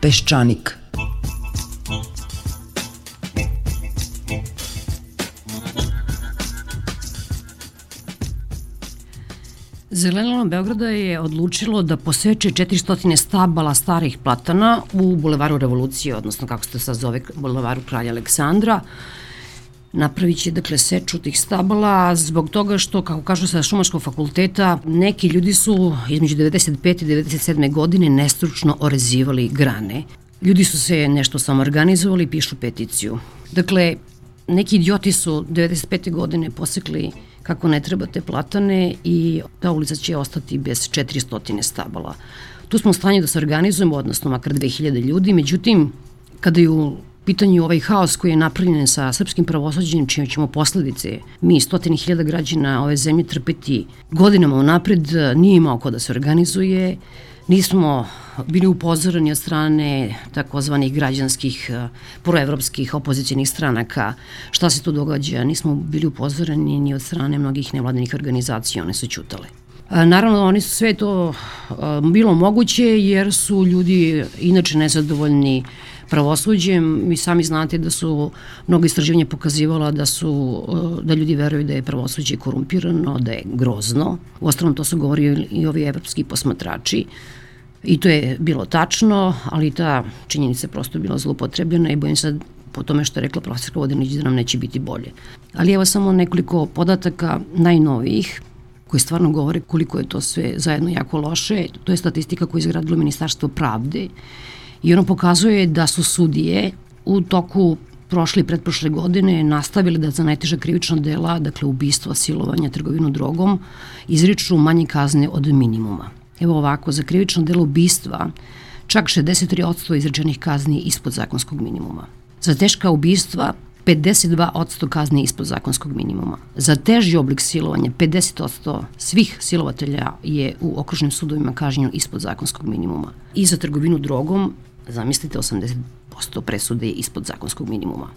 Peščanik. Zelenilo Beograda je odlučilo da poseče 400 stabala starih platana u Bulevaru Revolucije, odnosno kako se to sad zove, Bulevaru Kralja Aleksandra. Napravit će, dakle, seču tih stabala zbog toga što, kako kažu sa Šumarskog fakulteta, neki ljudi su između 95. i 97. godine nestručno orezivali grane. Ljudi su se nešto samoorganizovali i pišu peticiju. Dakle, neki idioti su 95. godine posekli kako ne treba te platane i ta ulica će ostati bez 400 stabala. Tu smo u stanju da se organizujemo, odnosno makar 2000 ljudi, međutim, kada je u pitanju ovaj haos koji je napravljen sa srpskim pravosuđem, čime ćemo posledice mi 100.000 građana ove zemlje trpeti godinama unapred, nije imao ko da se organizuje, nismo bili upozoreni od strane takozvanih građanskih, proevropskih opozicijnih stranaka šta se tu događa, nismo bili upozoreni ni od strane mnogih nevladinih organizacija, one su ćutale. Naravno, oni su sve to bilo moguće jer su ljudi inače nezadovoljni pravosuđem. Vi sami znate da su mnogo istraživanja pokazivala da ljudi veruju da je pravosuđe korumpirano, da je grozno. Uostalom, to su govorili i ovi evropski posmatrači. I to je bilo tačno, ali ta činjenica je prosto bila zloupotrebljena i bojim se po tome što je rekla profesorka Vodinić da nam neće biti bolje. Ali evo samo nekoliko podataka najnovijih koji stvarno govore koliko je to sve zajedno jako loše. To je statistika koju je izgradilo Ministarstvo pravde i ono pokazuje da su sudije u toku prošle i pretprošle godine nastavili da za najteža krivična dela, dakle ubistva, silovanja, trgovinu drogom, izriču manje kazne od minimuma. Evo ovako, za krivično delo ubistva čak 63% izrečenih kazni ispod zakonskog minimuma. Za teška ubistva 52% kazni ispod zakonskog minimuma. Za teži oblik silovanja 50% svih silovatelja je u okružnim sudovima kažnjeno ispod zakonskog minimuma. I za trgovinu drogom, zamislite, 80% presude je ispod zakonskog minimuma.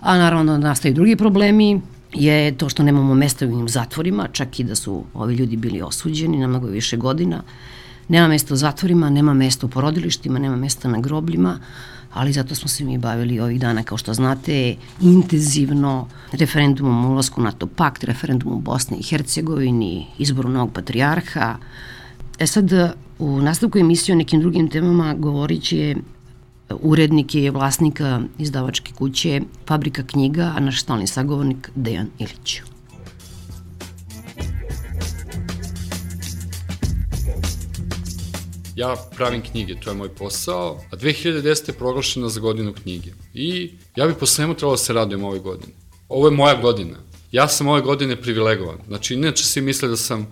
A naravno nastaju drugi problemi, je to što nemamo mesta u ovim zatvorima, čak i da su ovi ljudi bili osuđeni na mnogo više godina. Nema mesta u zatvorima, nema mesta u porodilištima, nema mesta na grobljima, ali zato smo se mi bavili ovih dana, kao što znate, intenzivno referendumom o ulasku u NATO pakt, referendumom u Bosni i Hercegovini, izboru novog patrijarha. Sad, u nastavku emisije o nekim drugim temama govorit će urednik je vlasnika izdavačke kuće Fabrika knjiga, a naš stalni sagovornik Dejan Ilić. Ja pravim knjige, to je moj posao, a 2010. je proglašena za godinu knjige. I ja bi po svemu trebalo da se radujem ove godine. Ovo je moja godina. Ja sam ove godine privilegovan. Znači, inače svi misle da sam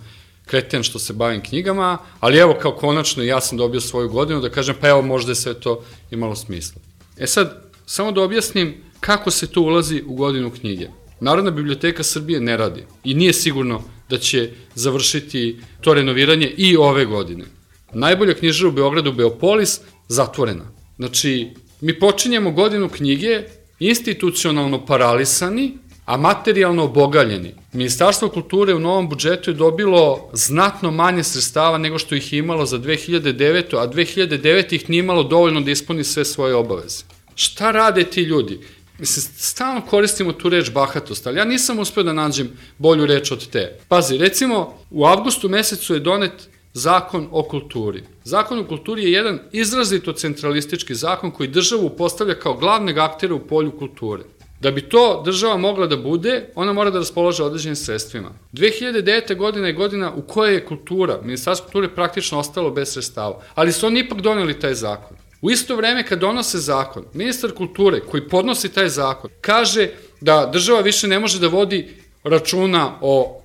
kreten što se bavim knjigama, ali evo kao konačno ja sam dobio svoju godinu da kažem pa evo možda je sve to imalo smisla. Sad, samo da objasnim kako se to ulazi u godinu knjige. Narodna biblioteka Srbije ne radi i nije sigurno da će završiti to renoviranje i ove godine. Najbolja knjižara u Beogradu, Beopolis, zatvorena. Znači, mi počinjemo godinu knjige institucionalno paralisani, a materijalno obogaljeni. Ministarstvo kulture u novom budžetu je dobilo znatno manje sredstava nego što ih je imalo za 2009. A 2009. ih nije imalo dovoljno da ispuni sve svoje obaveze. Šta rade ti ljudi? Mislim, stalno koristimo tu reč bahatost, ali ja nisam uspeo da nađem bolju reč od te. Pazi, recimo, u avgustu mesecu je donet Zakon o kulturi. Zakon o kulturi je jedan izrazito centralistički zakon koji državu postavlja kao glavnog aktera u polju kulture. Da bi to država mogla da bude, ona mora da raspolaže određenim sredstvima. 2009. godina je godina u kojoj je kultura, Ministarstvo kulture praktično ostalo bez sredstava, ali su oni ipak doneli taj zakon. U isto vreme kad donose zakon, ministar kulture koji podnosi taj zakon kaže da država više ne može da vodi računa o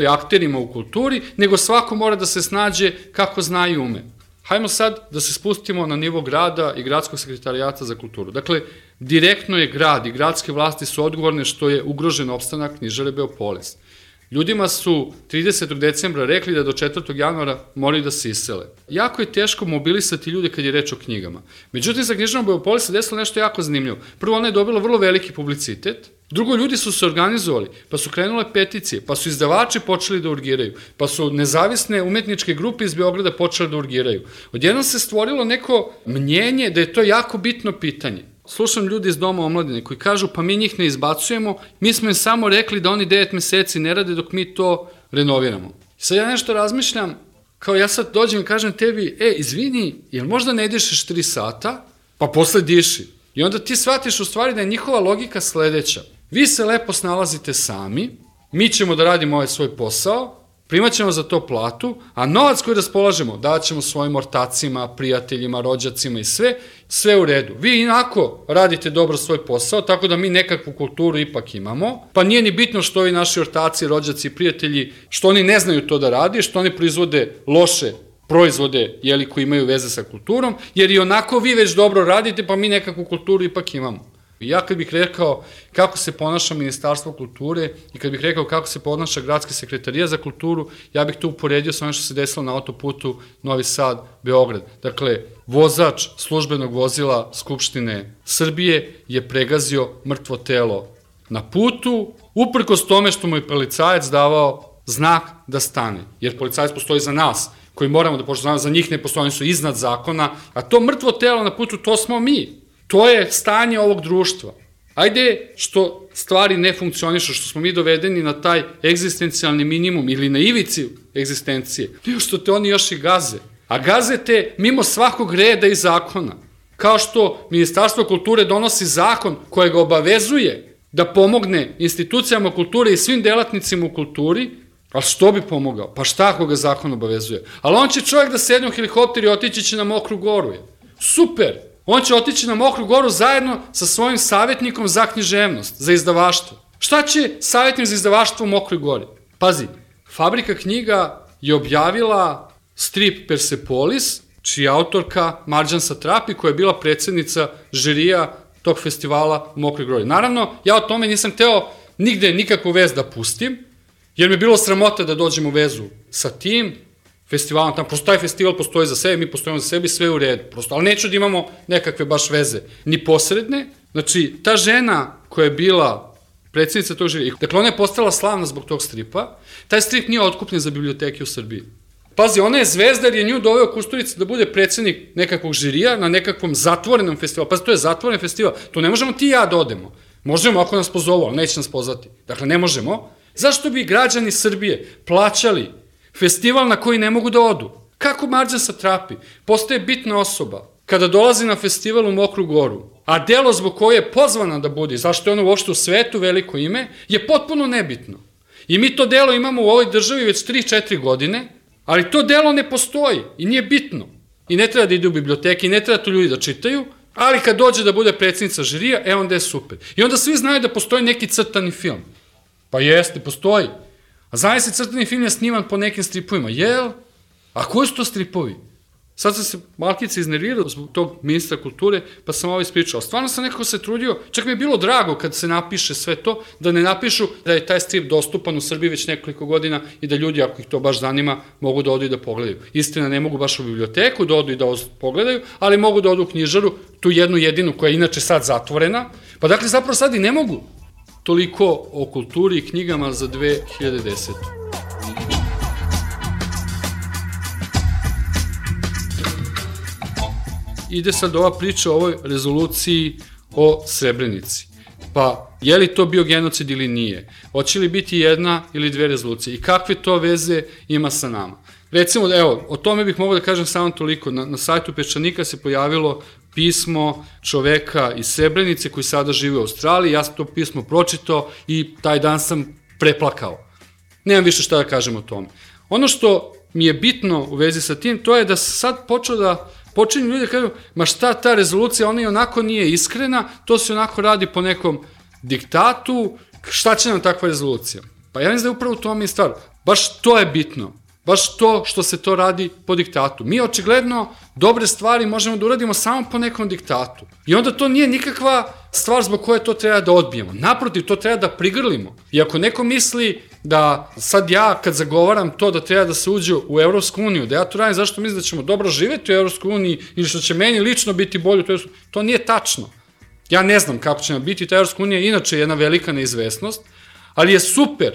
akterima u kulturi, nego svako mora da se snađe kako zna i ume. Hajmo sad da se spustimo na nivo grada i gradskog sekretarijata za kulturu. Dakle, direktno je grad i gradske vlasti su odgovorne što je ugrožen opstanak knjižare Beopolis. Ljudima su 30. decembra rekli da do 4. januara moraju da se isele. Jako je teško mobilisati ljude kad je reč o knjigama. Međutim, sa knjižarom Beopolis se desilo nešto jako zanimljivo. Prvo, ona je dobila vrlo veliki publicitet Drugo, ljudi su se organizovali, pa su krenule peticije, pa su izdavači počeli da urgiraju, pa su nezavisne umetničke grupe iz Beograda počele da urgiraju. Odjednom se stvorilo neko mnjenje da je to jako bitno pitanje. Slušam ljudi iz Doma omladine koji kažu pa mi njih ne izbacujemo, mi smo im samo rekli da oni 9 meseci ne rade dok mi to renoviramo. Sad ja nešto razmišljam, kao ja sad dođem i kažem tebi, izvini, jel možda ne dišeš 3 sata, pa posle diši. I onda ti shvatiš u stvari da je njihova logika sledeća. Vi se lepo snalazite sami, mi ćemo da radimo ovaj svoj posao, primat ćemo za to platu, a novac koji raspolažemo davat ćemo svojim ortacima, prijateljima, rođacima i sve u redu. Vi inako radite dobro svoj posao, tako da mi nekakvu kulturu ipak imamo, pa nije ni bitno što ovi naši ortaci, rođaci i prijatelji, što oni ne znaju to da radi, što oni proizvode loše proizvode, koji imaju veze sa kulturom, jer i onako vi već dobro radite, pa mi nekakvu kulturu ipak imamo. Ja kad bih rekao kako se ponaša Ministarstvo kulture i kad bih rekao kako se ponaša Gradski sekretarija za kulturu, ja bih to uporedio sa ono što se desilo na autoputu Novi Sad-Beograd. Dakle, vozač službenog vozila Skupštine Srbije je pregazio mrtvo telo na putu, uprkos tome što mu je policajac davao znak da stane. Jer policajac postoji za nas, koji moramo da poštujemo, za njih ne postoji, oni su iznad zakona, a to mrtvo telo na putu, to smo mi. To je stanje ovog društva. Ajde što stvari ne funkcionišu, što smo mi dovedeni na taj egzistencijalni minimum ili na ivici egzistencije, nego što te oni još i gaze. A gaze te mimo svakog reda i zakona. Kao što Ministarstvo kulture donosi zakon koje ga obavezuje da pomogne institucijama kulture i svim delatnicima u kulturi, ali što bi pomogao? Pa šta ako ga zakon obavezuje? Ali on će čovjek da sedne u helikopter i otići će na Mokru Goru. Super! On će otići na Mokru Goru zajedno sa svojim savjetnikom za književnost, za izdavaštvo. Šta će savjetnik za izdavaštvo u Mokroj Gori? Pazi, Fabrika knjiga je objavila strip Persepolis, čija autorka Marđan Satrapi, koja je bila predsednica žirija tog festivala u Mokroj Gori. Naravno, ja o tome nisam hteo nigde nikakvu vez da pustim, jer mi je bilo sramota da dođem u vezu sa tim festivalom, tamo, prosto taj festival postoji za sebe, mi postojimo za sebe i sve je u redu, prosto, ali neću da imamo nekakve baš veze, ni posredne. Znači, ta žena koja je bila predsednica tog žirija, dakle, ona je postala slavna zbog tog stripa, taj strip nije otkupljen za biblioteke u Srbiji. Pazi, ona je zvezda jer je nju doveo Kusturica da bude predsednik nekakvog žirija na nekakvom zatvorenom festivalu. Pazi, to je zatvoren festival, to ne možemo ti i ja da odemo. Možemo ako nas pozovu, ali neće nas pozvati. Dakle, ne možemo. Zašto bi građani Srbije plaćali festival na koji ne mogu da odu? Kako Marđan Satrapi postaje bitna osoba kada dolazi na festival u Mokru Goru, a delo zbog koje je pozvana da bude, zašto je ono uopšte u svetu veliko ime, je potpuno nebitno. I mi to delo imamo u ovoj državi već 3-4 godine, ali to delo ne postoji i nije bitno. I ne treba da ide u biblioteke, i ne treba to ljudi da čitaju, ali kad dođe da bude predsednica žirija, onda je super. I onda svi znaju da postoji neki crtani film. Pa jeste, postoji. A znaje se, crtani film je sniman po nekim stripovima. Jel? A koji su to stripovi? Sad sam se malkice iznervirao zbog tog ministra kulture, pa sam ovo ispričao. Stvarno sam nekako se trudio, čak mi je bilo drago kad se napiše sve to, da ne napišu da je taj strip dostupan u Srbiji već nekoliko godina i da ljudi, ako ih to baš zanima, mogu da odu i da pogledaju. Istina, ne mogu baš u biblioteku da odu i da pogledaju, ali mogu da odu u knjižaru, tu jednu jedinu koja je inače sad zatvorena. Pa dakle, zapravo sad i ne mogu. Toliko o kulturi i knjigama za 2010. Ide sad ova priča o ovoj rezoluciji o Srebrenici. Pa, je li to bio genocid ili nije? Hoće li biti jedna ili dve rezolucije? I kakve to veze ima sa nama? Recimo, evo, o tome bih mogao da kažem samo toliko. Na sajtu Peščanika se pojavilo pismo čoveka iz Srebrenice koji sada živi u Australiji. Ja sam to pismo pročitao i taj dan sam preplakao. Nemam više šta da kažem o tome. Ono što mi je bitno u vezi sa tim, to je da se sad počinju ljudi da kažu, ma šta ta rezolucija, ona i onako nije iskrena, to se onako radi po nekom diktatu, šta će nam takva rezolucija? Pa ja mislim da je upravo u tome i stvar. Baš to je bitno. Baš to što se to radi po diktatu. Mi očigledno dobre stvari možemo da uradimo samo po nekom diktatu. I onda to nije nikakva stvar zbog koje to treba da odbijemo. Naprotiv, to treba da prigrlimo. I ako neko misli da sad ja kad zagovaram to da treba da se uđe u Evropsku uniju, da ja to radim zašto mislim da ćemo dobro živeti u Evropskoj uniji ili što će meni lično biti bolje, to nije tačno. Ja ne znam kako će nam biti, ta Evropska unija je inače jedna velika neizvesnost, ali je super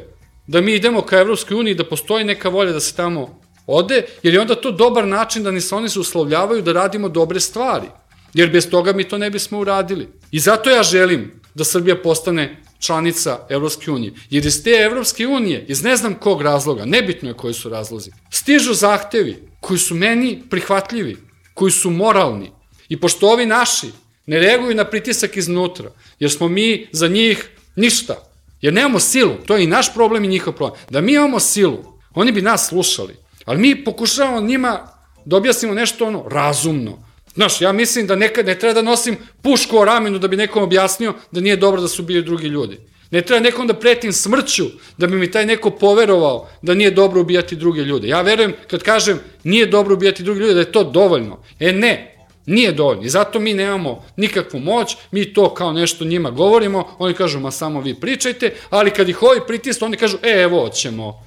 da mi idemo ka Evropskoj uniji, da postoji neka volja da se tamo ode, jer je onda to dobar način da se oni uslovljavaju da radimo dobre stvari, jer bez toga mi to ne bismo uradili. I zato ja želim da Srbija postane članica Evropske unije, jer iz te Evropske unije, iz ne znam kog razloga, nebitno je koji su razlozi, stižu zahtevi koji su meni prihvatljivi, koji su moralni. I pošto ovi naši ne reaguju na pritisak iznutra, jer smo mi za njih ništa, jer nemamo silu, to je i naš problem i njihov problem. Da mi imamo silu, oni bi nas slušali, ali mi pokušavamo njima da objasnimo nešto razumno. Znaš, ja mislim da nekad ne treba da nosim pušku o ramenu da bi nekom objasnio da nije dobro da su bili drugi ljudi. Ne treba nekom da pretim smrću da bi mi taj neko poverovao da nije dobro ubijati druge ljude. Ja verujem kad kažem nije dobro ubijati druge ljude da je to dovoljno. Ne, nije dovoljno. I zato mi nemamo nikakvu moć, mi to kao nešto njima govorimo, oni kažu ma samo vi pričajte, ali kad ih ovi pritisnu, oni kažu evo ćemo.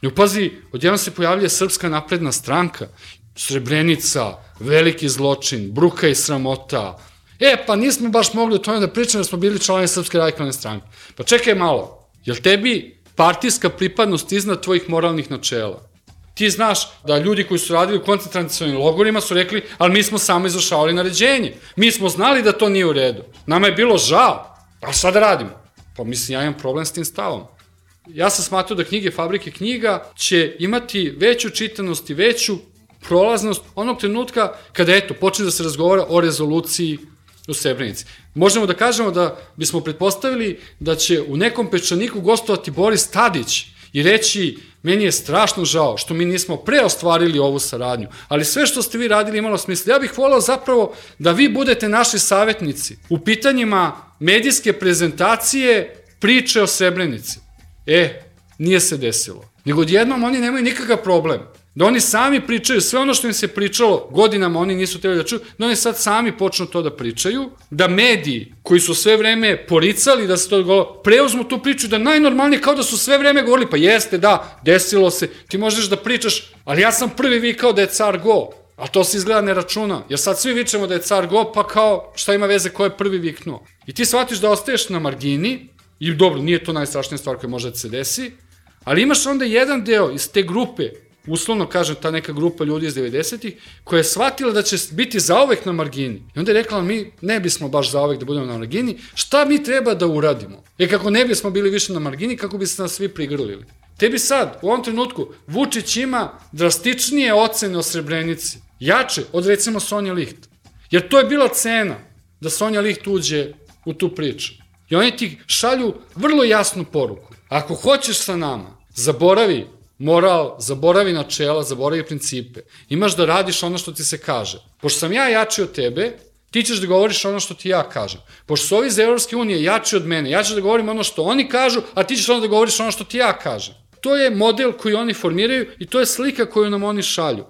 I pazi, odjednom se pojavlja Srpska napredna stranka, Srebrenica, veliki zločin, bruka i sramota. Pa nismo baš mogli o tome da pričamo jer smo bili članovi Srpske radikalne stranke. Pa čekaj malo, jel tebi partijska pripadnost iznad tvojih moralnih načela? Ti znaš da ljudi koji su radili u koncentracionim logorima su rekli, ali mi smo samo izvršavali naređenje. Mi smo znali da to nije u redu. Nama je bilo žao. A šta da radimo? Pa mislim, ja imam problem s tim stavom. Ja sam smatrao da knjige Fabrike knjiga će imati veću čitanost i veću prolaznost onog trenutka kada, počne da se razgovara o rezoluciji u Srebrenici. Možemo da kažemo da bismo pretpostavili da će u nekom Pečaniku gostovati Boris Tadić i reći, meni je strašno žao što mi nismo preostvarili ovu saradnju, ali sve što ste vi radili imalo smisla. Ja bih voleo zapravo da vi budete naši savjetnici u pitanjima medijske prezentacije priče o Srebrenici. Nije se desilo. Nego odjednom oni nemaju nikakav problem. Da oni sami pričaju sve ono što im se pričalo, godinama oni nisu trebali da čuju, da oni sad sami počnu to da pričaju, da mediji koji su sve vreme poricali da se to govorilo, preuzmu tu priču da najnormalnije kao da su sve vreme govorili, pa jeste, da, desilo se, ti možeš da pričaš, ali ja sam prvi vikao da je car go, a to se izgleda ne računa, jer sad svi vičemo da je car go, pa kao šta ima veze ko je prvi viknuo. I ti shvatiš da ostaješ na margini, i dobro, nije to najstrašnija stvar koja može da se desi, ali imaš onda jedan deo iz te grupe, uslovno kažem, ta neka grupa ljudi iz 90-ih, koja je shvatila da će biti zauvek na margini. I onda je rekla, mi ne bismo baš zauvek da budemo na margini, šta mi treba da uradimo? Kako ne bismo bili više na margini, kako bi se nas svi prigrlili. Tebi sad, u ovom trenutku, Vučić ima drastičnije ocene o Srebrenici, jače od recimo Sonja Liht. Jer to je bila cena da Sonja Liht uđe u tu priču. I oni ti šalju vrlo jasnu poruku. Ako hoćeš sa nama, zaboravi moral, zaboravi načela, zaboravi principe. Imaš da radiš ono što ti se kaže. Pošto sam ja jači od tebe, ti ćeš da govoriš ono što ti ja kažem. Pošto su ovi iz Evropske unije jači od mene, ja ću da govorim ono što oni kažu, a ti ćeš onda da govoriš ono što ti ja kažem. To je model koji oni formiraju i to je slika koju nam oni šalju.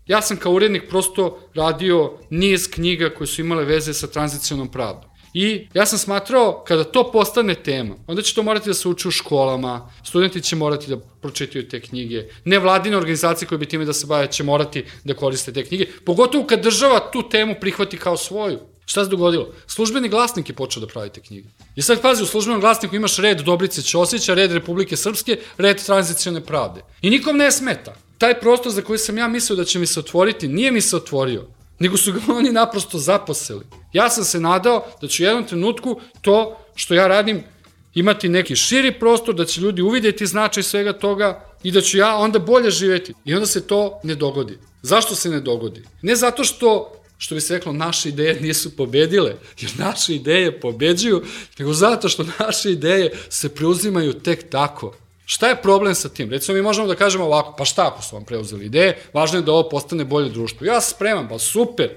Ja sam kao urednik prosto radio niz knjiga koje su imale veze sa tranzicionom pravdom. I ja sam smatrao, kada to postane tema, onda će to morati da se uči u školama, studenti će morati da pročitaju te knjige, nevladine organizacije koje bi time da se bave će morati da koriste te knjige, pogotovo kad država tu temu prihvati kao svoju. Šta se dogodilo? Službeni glasnik je počeo da pravi te knjige. I sad pazi, u službenom glasniku imaš red Dobrice Ćosića, red Republike Srpske, red tranzicione pravde. I nikom ne smeta. Taj prostor za koji sam ja mislio da će mi se otvoriti, nije mi se otvorio, nego su ga oni naprosto zaposeli. Ja sam se nadao da ću u jednom trenutku to što ja radim imati neki širi prostor, da će ljudi uvidjeti značaj svega toga i da ću ja onda bolje živjeti. I onda se to ne dogodi. Zašto se ne dogodi? Ne zato što bi se reklo, naše ideje nisu pobedile, jer naše ideje pobeđuju, nego zato što naše ideje se preuzimaju tek tako. Šta je problem sa tim? Recimo, mi možemo da kažemo ovako, pa šta ako su vam preuzeli ideje, važno je da ovo postane bolje društvo. Ja sam spreman, pa super,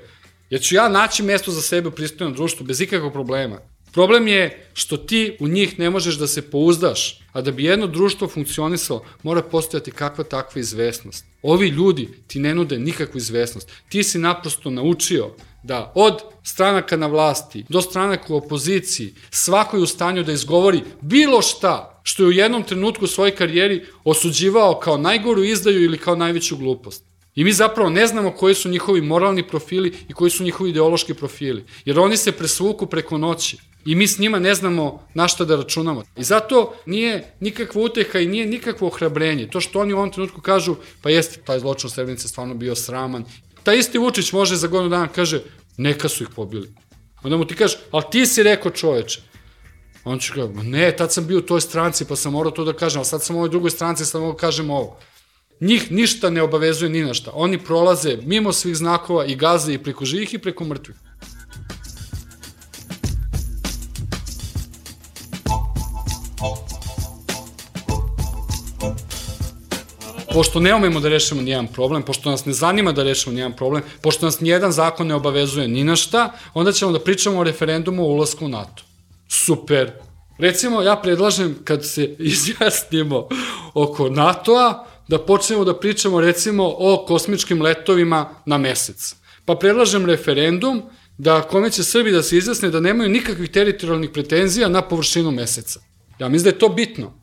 jer ću ja naći mesto za sebe u pristojnom društvu bez ikakvog problema. Problem je što ti u njih ne možeš da se pouzdaš, a da bi jedno društvo funkcionisalo, mora postojati kakva takva izvesnost. Ovi ljudi ti ne nude nikakvu izvesnost. Ti si naprosto naučio da od stranaka na vlasti do stranaka u opoziciji svako je u stanju da izgovori bilo šta što je u jednom trenutku u svojoj karijeri osuđivao kao najgoru izdaju ili kao najveću glupost. I mi zapravo ne znamo koji su njihovi moralni profili i koji su njihovi ideološki profili. Jer oni se presvuku preko noći. I mi s njima ne znamo na šta da računamo. I zato nije nikakva uteha i nije nikakvo ohrabrenje. To što oni u ovom trenutku kažu, pa jeste, taj zločin u Srebrenici stvarno bio sraman. Taj isti Vučić može za godinu dana kaže, neka su ih pobili. Onda mu ti kaže, ali ti si rekao čoveče. On će kaže, ne, tad sam bio u toj stranci pa sam morao to da kažem, ali sad sam u ovoj drugoj stranci, sad mogu kažem ovo. Njih ništa ne obavezuje ni na šta. Oni prolaze mimo svih znakova i gaze i preko živih i preko mrtvih. Pošto ne umemo da rešimo nijedan problem, pošto nas ne zanima da rešimo nijedan problem, pošto nas nijedan zakon ne obavezuje ni na šta, onda ćemo da pričamo o referendumu o ulasku u NATO. Super. Recimo, ja predlažem kad se izjasnimo oko NATO-a, da počnemo da pričamo recimo o kosmičkim letovima na mesec. Pa predlažem referendum da kome će Srbi da se izjasne da nemaju nikakvih teritorijalnih pretenzija na površinu meseca. Ja mislim da je to bitno.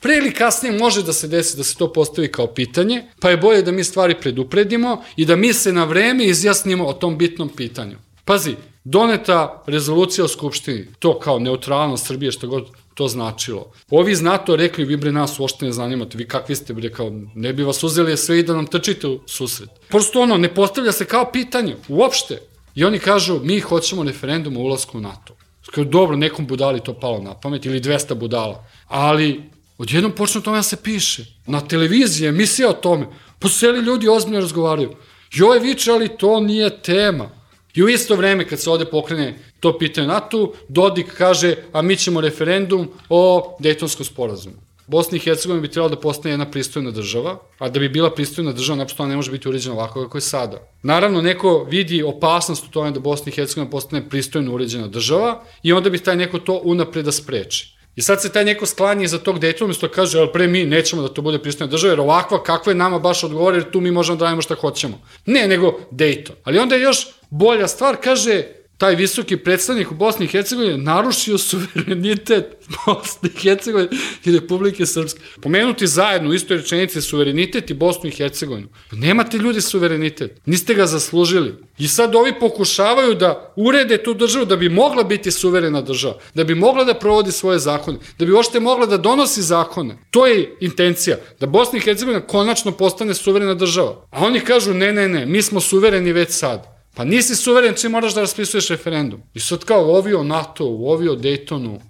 Pre ili kasnije može da se desi da se to postavi kao pitanje, pa je bolje da mi stvari predupredimo i da mi se na vreme izjasnimo o tom bitnom pitanju. Pazi, doneta rezolucija o Skupštini, to kao neutralnost Srbije, što god to značilo. Ovi iz NATO rekli, vi bre nas uopšte ne zanimate, vi kakvi ste bre, kao ne bi vas uzeli sve i da nam trčite u susret. Prosto ono, ne postavlja se kao pitanje, uopšte. I oni kažu, mi hoćemo referendum o ulasku u NATO. Kao, dobro, nekom budali to palo na pamet, ili 200 budala, ali odjednom počne o tome da se piše. Na televiziji emisija o tome. Poseli ljudi ozbiljno razgovaraju. Joj viče, ali to nije tema. I u isto vreme kad se ovde pokrene to pitanje NATO, Dodik kaže, a mi ćemo referendum o Dejtonskom sporazumu. Bosna i Hercegovina bi trebala da postane jedna pristojna država, a da bi bila pristojna država, naprosto ne može biti uređena ovako kako je sada. Naravno, neko vidi opasnost u tome da Bosna i Hercegovina postane pristojno uređena država i onda bi taj neko to unapred da spreči. I sad se taj neko sklanja iza tog Dejtona, umjesto da kaže, ali pre mi nećemo da to bude pristojna država, jer ovakva kakva je nama baš odgovore, jer tu mi možemo da radimo šta hoćemo. Ne, nego Dejton. Ali onda je još bolja stvar, kaže, taj visoki predstavnik u Bosni i Hercegovini narušio suverenitet Bosne i Hercegovine i Republike Srpske. Pomenuti zajedno u istoj rečenici suverenitet i Bosnu i Hercegovinu. Nemate ljudi suverenitet, niste ga zaslužili. I sad ovi pokušavaju da urede tu državu da bi mogla biti suverena država, da bi mogla da provodi svoje zakone, da bi uopšte mogla da donosi zakone. To je intencija, da Bosna i Hercegovina konačno postane suverena država. A oni kažu ne, mi smo suvereni već sad. Pa nisi suveren čim moraš da raspisuješ referendum. I sad kao ovi o NATO-u, ovi o Dejtonu,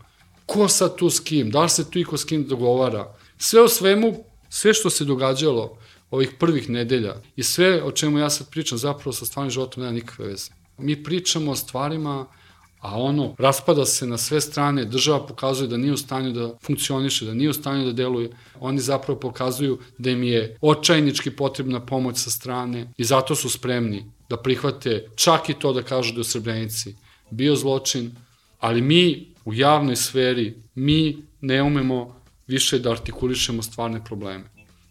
ko sad tu s kim, da li se tu i ko s kim dogovara. Sve o svemu, sve što se događalo ovih prvih nedelja i sve o čemu ja sad pričam zapravo sa stvarnim životom nema nikakve veze. Mi pričamo o stvarima, a ono raspada se na sve strane, država pokazuje da nije u stanju da funkcioniše, da nije u stanju da deluje. Oni zapravo pokazuju da im je očajnički potrebna pomoć sa strane i zato su spremni da prihvate čak i to da kažu da je u Srebrenici bio zločin, ali mi u javnoj sferi, mi ne umemo više da artikulišemo stvarne probleme.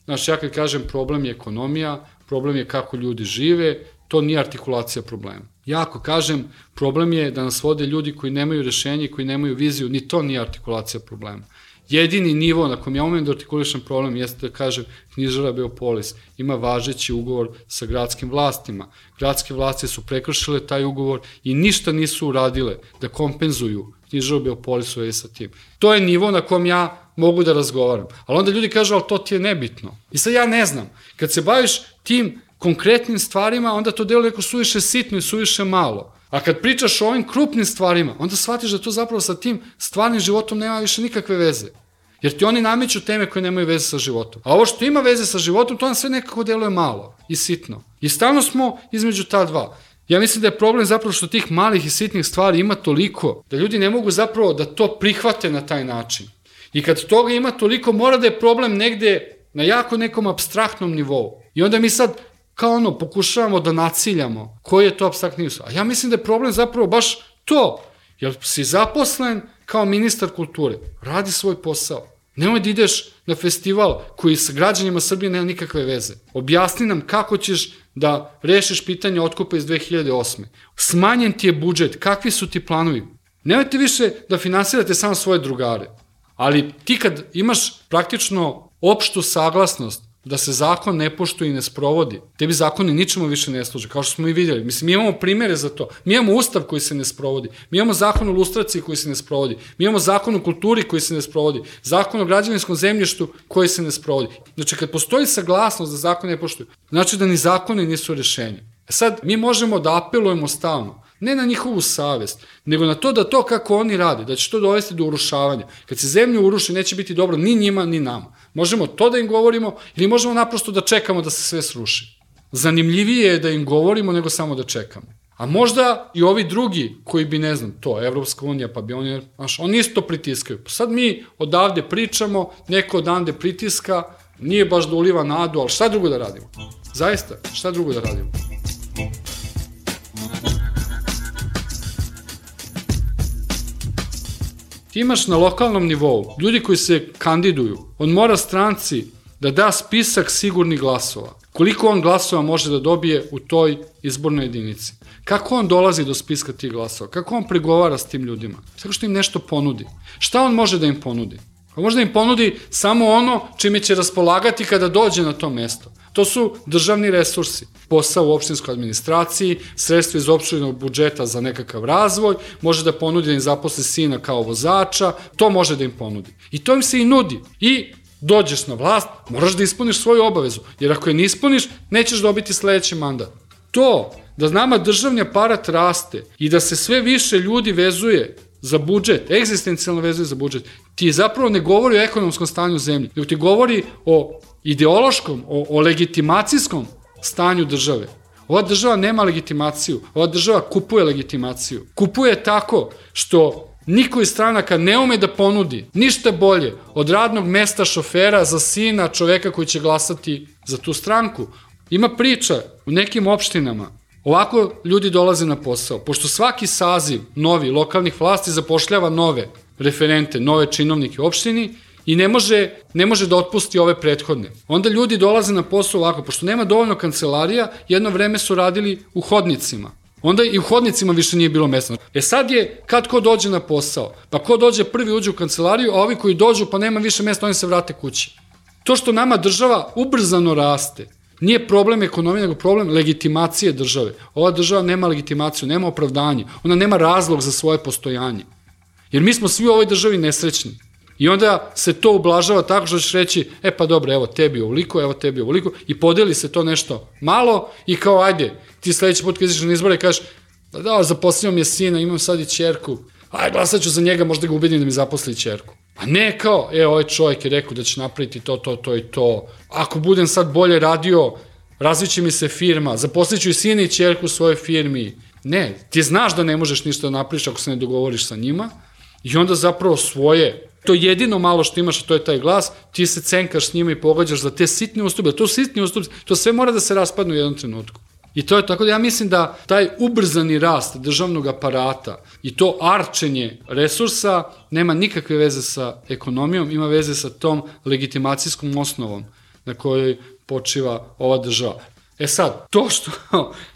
Znači, ja kad kažem problem je ekonomija, problem je kako ljudi žive, to nije artikulacija problema. Ja ako kažem problem je da nas vode ljudi koji nemaju rešenje, koji nemaju viziju, ni to nije artikulacija problema. Jedini nivo na kojem ja umem da artikulišem problem jeste da kažem knjižara Beopolis ima važeći ugovor sa gradskim vlastima. Gradske vlasti su prekršile taj ugovor i ništa nisu uradile da kompenzuju knjižaru Beopolis u sa tim. To je nivo na kojem ja mogu da razgovaram. Ali onda ljudi kažu, ali to ti je nebitno. I sad ja ne znam, kad se baviš tim konkretnim stvarima, onda to deluje neko suviše sitno i suviše malo. A kad pričaš o ovim krupnim stvarima, onda shvatiš da to zapravo sa tim stvarnim životom nema više nikakve veze. Jer ti oni nameću teme koje nemaju veze sa životom. A ovo što ima veze sa životom, to nam sve nekako deluje malo i sitno. I stalno smo između ta dva. Ja mislim da je problem zapravo što tih malih i sitnih stvari ima toliko, da ljudi ne mogu zapravo da to prihvate na taj način. I kad toga ima toliko, mora da je problem negde na jako nekom apstraktnom nivou. I onda mi sad kao ono, pokušavamo da naciljamo koji je to apstraktni nivo. A ja mislim da je problem zapravo baš to. Jer si zaposlen kao ministar kulture, radi svoj posao. Nemoj da ideš na festival koji sa građanima Srbije nema nikakve veze. Objasni nam kako ćeš da rešiš pitanje otkupa iz 2008. Smanjen ti je budžet, kakvi su ti planovi? Nemojte više da finansirate samo svoje drugare. Ali ti kad imaš praktično opštu saglasnost da se zakon ne poštuje i ne sprovodi, tebi zakoni ničemu više ne služe, kao što smo i vidjeli. Mislim, mi imamo primere za to. Mi imamo ustav koji se ne sprovodi, mi imamo zakon o lustraciji koji se ne sprovodi, mi imamo zakon o kulturi koji se ne sprovodi, zakon o građevinskom zemljištu koji se ne sprovodi. Znači, kad postoji saglasnost da zakon ne poštuju, znači da ni zakoni nisu rešenje. Sad, mi možemo da apelujemo stalno, ne na njihovu savest, nego na to da to kako oni rade, da će to dovesti do urušavanja. Kad se zemlju uruši, neće biti dobro ni njima, ni nama. Možemo to da im govorimo ili možemo naprosto da čekamo da se sve sruši. Zanimljivije je da im govorimo nego samo da čekamo. A možda i ovi drugi koji bi, ne znam, to, Evropska unija, pa bi oni isto pritiskaju. Sad mi odavde pričamo, neko odavde pritiska, nije baš da uliva nadu, ali šta drugo da radimo? Zaista, šta drugo da radimo? Ti imaš na lokalnom nivou ljudi koji se kandiduju, on mora stranci da da spisak sigurnih glasova. Koliko on glasova može da dobije u toj izbornoj jedinici? Kako on dolazi do spiska tih glasova? Kako on pregovara s tim ljudima? Tako što im nešto ponudi. Šta on može da im ponudi? Može da im ponudi samo ono čime će raspolagati kada dođe na to mesto. To su državni resursi, posao u opštinskoj administraciji, sredstva iz opštinskog budžeta za nekakav razvoj, može da ponudi da im zaposli sina kao vozača, to može da im ponudi. I to im se i nudi. I dođeš na vlast, moraš da ispuniš svoju obavezu, jer ako je ne ispuniš, nećeš dobiti sledeći mandat. To da nama državni aparat raste i da se sve više ljudi vezuje za budžet, egzistencijalno vezuje za budžet, ti zapravo ne govori o ekonomskom stanju zemlje, nego ti govori o ideološkom, o legitimacijskom stanju države. Ova država nema legitimaciju, ova država kupuje legitimaciju. Kupuje tako što niko iz stranaka ne ume da ponudi ništa bolje od radnog mesta šofera za sina čoveka koji će glasati za tu stranku. Ima priča u nekim opštinama, ovako ljudi dolaze na posao, pošto svaki saziv novi lokalnih vlasti zapošljava nove referente, nove činovnike u opštini i ne može da otpusti ove prethodne. Onda ljudi dolaze na posao ovako, pošto nema dovoljno kancelarija, jedno vreme su radili u hodnicima. Onda i u hodnicima više nije bilo mesta. Sad je kad ko dođe na posao, pa ko dođe prvi uđe u kancelariju, a ovi koji dođu pa nema više mesta, oni se vrate kući. To što nama država ubrzano raste, nije problem ekonomije, nego problem legitimacije države. Ova država nema legitimaciju, nema opravdanje, ona nema razlog za svoje postojanje. Jer mi smo svi u ovoj državi nesrećni. I onda se to ublažava tako što ćeš reći, pa dobro, evo tebi ovoliko, evo tebi ovoliko, i podeli se to nešto malo i kao, ajde, ti sledeći put kad izađeš na izbore kažeš, da, zaposlio mi je sina, imam sad i ćerku, ajde, glasat ću za njega, možda ga ubedim da mi zaposli ćerku. A ne kao, ovaj čovjek je rekao da će napraviti to i to, ako budem sad bolje radio, razviće mi se firma, zaposlit ću i sina i ćerku u svojoj firmi. Ne, ti znaš da ne možeš ništa da napraviš ako se ne dogovoriš sa njima i onda zapravo svoje, to jedino malo što imaš, a to je taj glas, ti se cenkaš s njima i pogađaš za te sitne ustupke, to sitni ustupci, to sve mora da se raspadne u jednom trenutku. I to je tako da ja mislim da taj ubrzani rast državnog aparata i to arčenje resursa nema nikakve veze sa ekonomijom, ima veze sa tom legitimacijskom osnovom na kojoj počiva ova država. Sad, to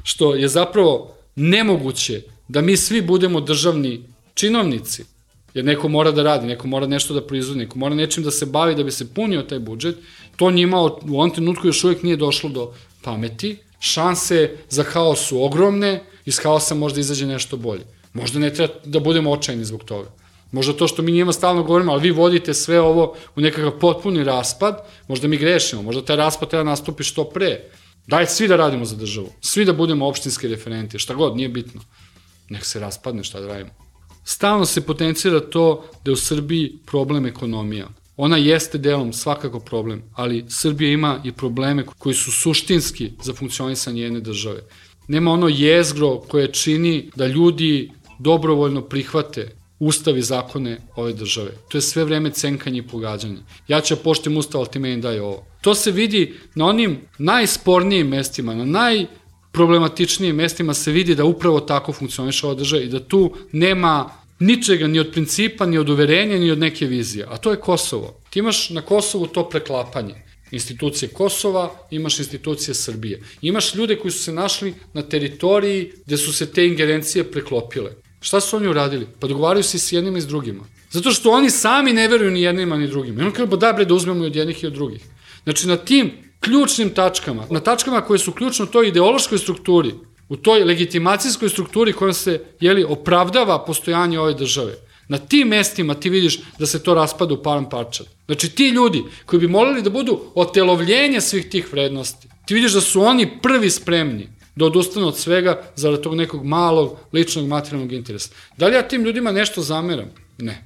što je zapravo nemoguće da mi svi budemo državni činovnici, jer neko mora da radi, neko mora nešto da proizvodi, neko mora nečim da se bavi da bi se punio taj budžet, to njima u ovom trenutku još uvijek nije došlo do pameti. Šanse za haos su ogromne, iz haosa možda izađe nešto bolje. Možda ne treba da budemo očajni zbog toga. Možda to što mi njima stalno govorimo, ali vi vodite sve ovo u nekakav potpuni raspad, možda mi grešimo, možda taj raspad treba nastupi što pre. Daj svi da radimo za državu, svi da budemo opštinski referenti, šta god, nije bitno. Nek se raspadne, šta da radimo. Stalno se potencira to da je u Srbiji problem ekonomija. Ona jeste delom svakako problem, ali Srbija ima i probleme koji su suštinski za funkcionisanje jedne države. Nema ono jezgro koje čini da ljudi dobrovoljno prihvate ustav i zakone ove države. To je sve vreme cenkanje i pogađanje. Ja ću poštujem ustav, ali ti meni daj ovo. To se vidi na onim najspornijim mestima, na najproblematičnijim mestima se vidi da upravo tako funkcioniše ova država i da tu nema ničega, ni od principa, ni od uverenja, ni od neke vizije. A to je Kosovo. Ti imaš na Kosovu to preklapanje. Institucije Kosova, imaš institucije Srbije. Imaš ljude koji su se našli na teritoriji gde su se te ingerencije preklopile. Šta su oni uradili? Pa dogovaraju se s jednima i s drugima. Zato što oni sami ne veruju ni jednima ni drugima. I on kaže, da uzmemo i od jednih i od drugih. Znači, na tim ključnim tačkama, na tačkama koje su ključno u toj ideološkoj strukturi, u toj legitimacijskoj strukturi kojom se opravdava postojanje ove države. Na tim mestima ti vidiš da se to raspada u param parčad. Znači ti ljudi koji bi molili da budu otelovljenje svih tih vrednosti, ti vidiš da su oni prvi spremni da odustanu od svega zarad tog nekog malog ličnog materijalnog interesa. Da li ja tim ljudima nešto zameram? Ne.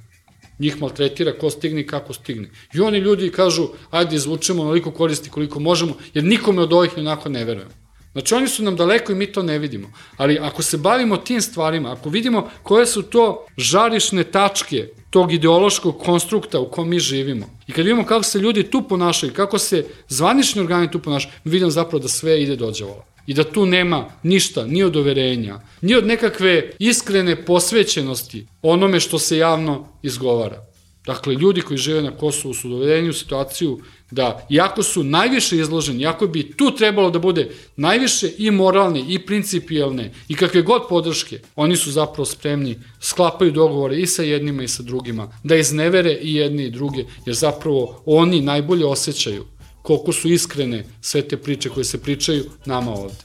Njih maltretira ko stigne i kako stigne. I oni ljudi kažu, ajde izvučemo onoliko koristi koliko možemo, jer nikome od ovih onako ne verujemo. Znači oni su nam daleko i mi to ne vidimo. Ali ako se bavimo tim stvarima, ako vidimo koje su to žarišne tačke tog ideološkog konstrukta u kom mi živimo, i kad vidimo kako se ljudi tu ponašaju, kako se zvanični organi tu ponašaju, mi vidimo zapravo da sve ide do đavola. I da tu nema ništa, ni od overenja, ni od nekakve iskrene posvećenosti onome što se javno izgovara. Dakle, ljudi koji žive na Kosovu su dovedeni u situaciju da, iako su najviše izloženi, iako bi tu trebalo da bude najviše i moralne, i principijelne, i kakve god podrške, oni su zapravo spremni, sklapaju dogovore i sa jednima i sa drugima, da iznevere i jedni i druge, jer zapravo oni najbolje osjećaju koliko su iskrene sve te priče koje se pričaju nama ovde.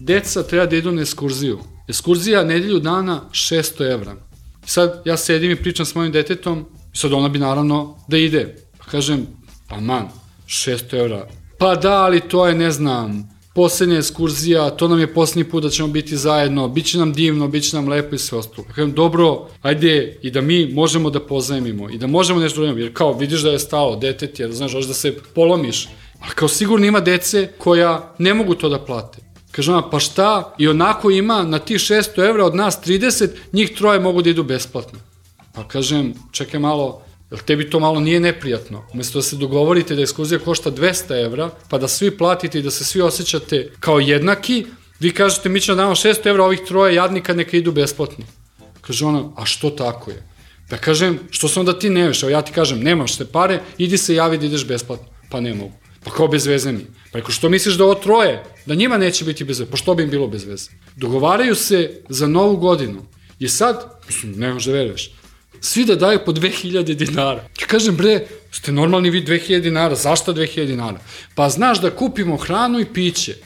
Deca treba da idu na ekskurziju. Ekskurzija nedelju dana 600 evra. Sad ja sedim i pričam s mojim detetom i sad ona bi naravno da ide. Pa kažem, aman, 600 evra. Pa da, ali to je, ne znam, poslednja ekskurzija, to nam je poslednji put da ćemo biti zajedno, bit će nam divno, bit će nam lepo i sve ostalo. Kažem, dobro, ajde i da mi možemo da pozajmimo i da možemo nešto da jer kao vidiš da je stalo, detet je, znaš, hoćeš da se polomiš, ali kao sigurno ima dece koja ne mogu to da plate. Kaže ona, pa šta, i onako ima na tih 600 evra od nas 30, njih 3 mogu da idu besplatno. Pa kažem, čekaj malo, jel tebi to malo nije neprijatno? Umesto da se dogovorite da ekskurzija košta 200 evra, pa da svi platite i da se svi osjećate kao jednaki, vi kažete mi ćemo da damo 600 evra, ovih 3 jadnika neka idu besplatno. Kaže ona, a što tako je? Pa kažem, što se onda ti nemaš? Evo ja ti kažem, nemaš te pare, idi se javi da ideš besplatno. Pa ne mogu. Pa kao bez veze mi. Pa rekao, što misliš da ovo 3, da njima neće biti bez veze? Pa što bi im bilo bez veze? Dogovaraju se za novu godinu. I sad, mislim, ne možeš da veruješ, svi da daju po 2000 dinara. Ja kažem, bre, ste normalni vi 2000 dinara, zašto 2000 dinara? Pa znaš da kupimo hranu i piće.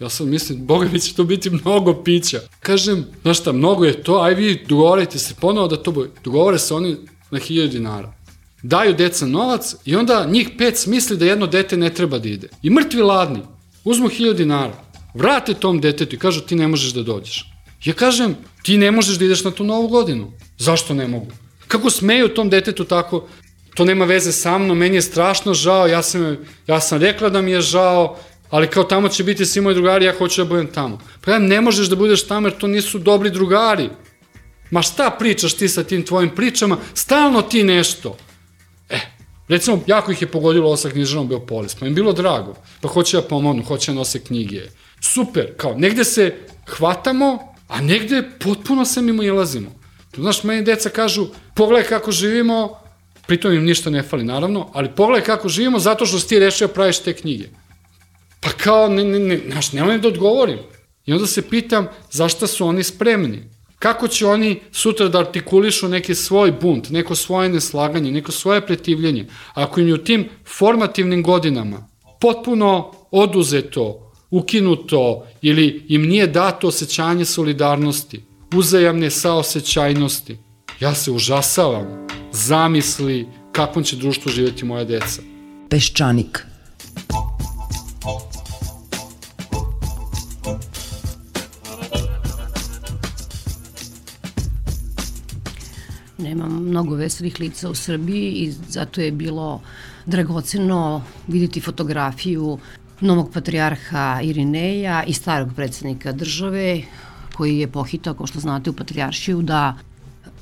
Ja sad mislim, boga mi će to biti mnogo pića. Kažem, znaš šta, mnogo je to, aj vi dogovorite se ponovo da to bude. Dogovore se oni na 1000 dinara. Daju deca novac i onda njih 5 smisli da jedno dete ne treba da ide. I mrtvi ladni, uzmu 1000 dinara, vrate tom detetu i kažu ti ne možeš da dođeš. Ja kažem, ti ne možeš da ideš na tu novu godinu. Zašto ne mogu? Kako smeju tom detetu tako? To nema veze sa mnom, meni je strašno žao, ja sam rekla da mi je žao, ali kao tamo će biti svi moji drugari, ja hoću da budem tamo. Pa ja ne možeš da budeš tamo jer to nisu dobri drugari. Ma šta pričaš ti sa tim tvojim pričama? Stalno ti nešto. Recimo, jako ih je pogodilo sa knjižarom Beopolis, pa im bilo drago, pa hoće da pomognu, hoće da nose knjige. Super, kao, negde se hvatamo, a negde potpuno se mimo ilazimo. Znaš, meni deca kažu, pogledaj kako živimo, pritom im ništa ne fali, naravno, ali pogledaj kako živimo zato što si ti rešio da praviš te knjige. Pa kao, znaš, nemoj da odgovorim. I onda se pitam, zašto su oni spremni? Kako će oni sutra da artikulišu neki svoj bunt, neko svoje neslaganje, neko svoje pretivljenje, ako im je u tim formativnim godinama potpuno oduzeto, ukinuto ili im nije dato osjećanje solidarnosti, uzajamne saosećajnosti. Ja se užasavam zamisli kakvom će društvu živjeti moja deca. Peščanik. Nema mnogo veselih lica u Srbiji i zato je bilo dragoceno vidjeti fotografiju novog patrijarha Irineja i starog predsednika države koji je pohitao, kao što znate, u patrijaršiju da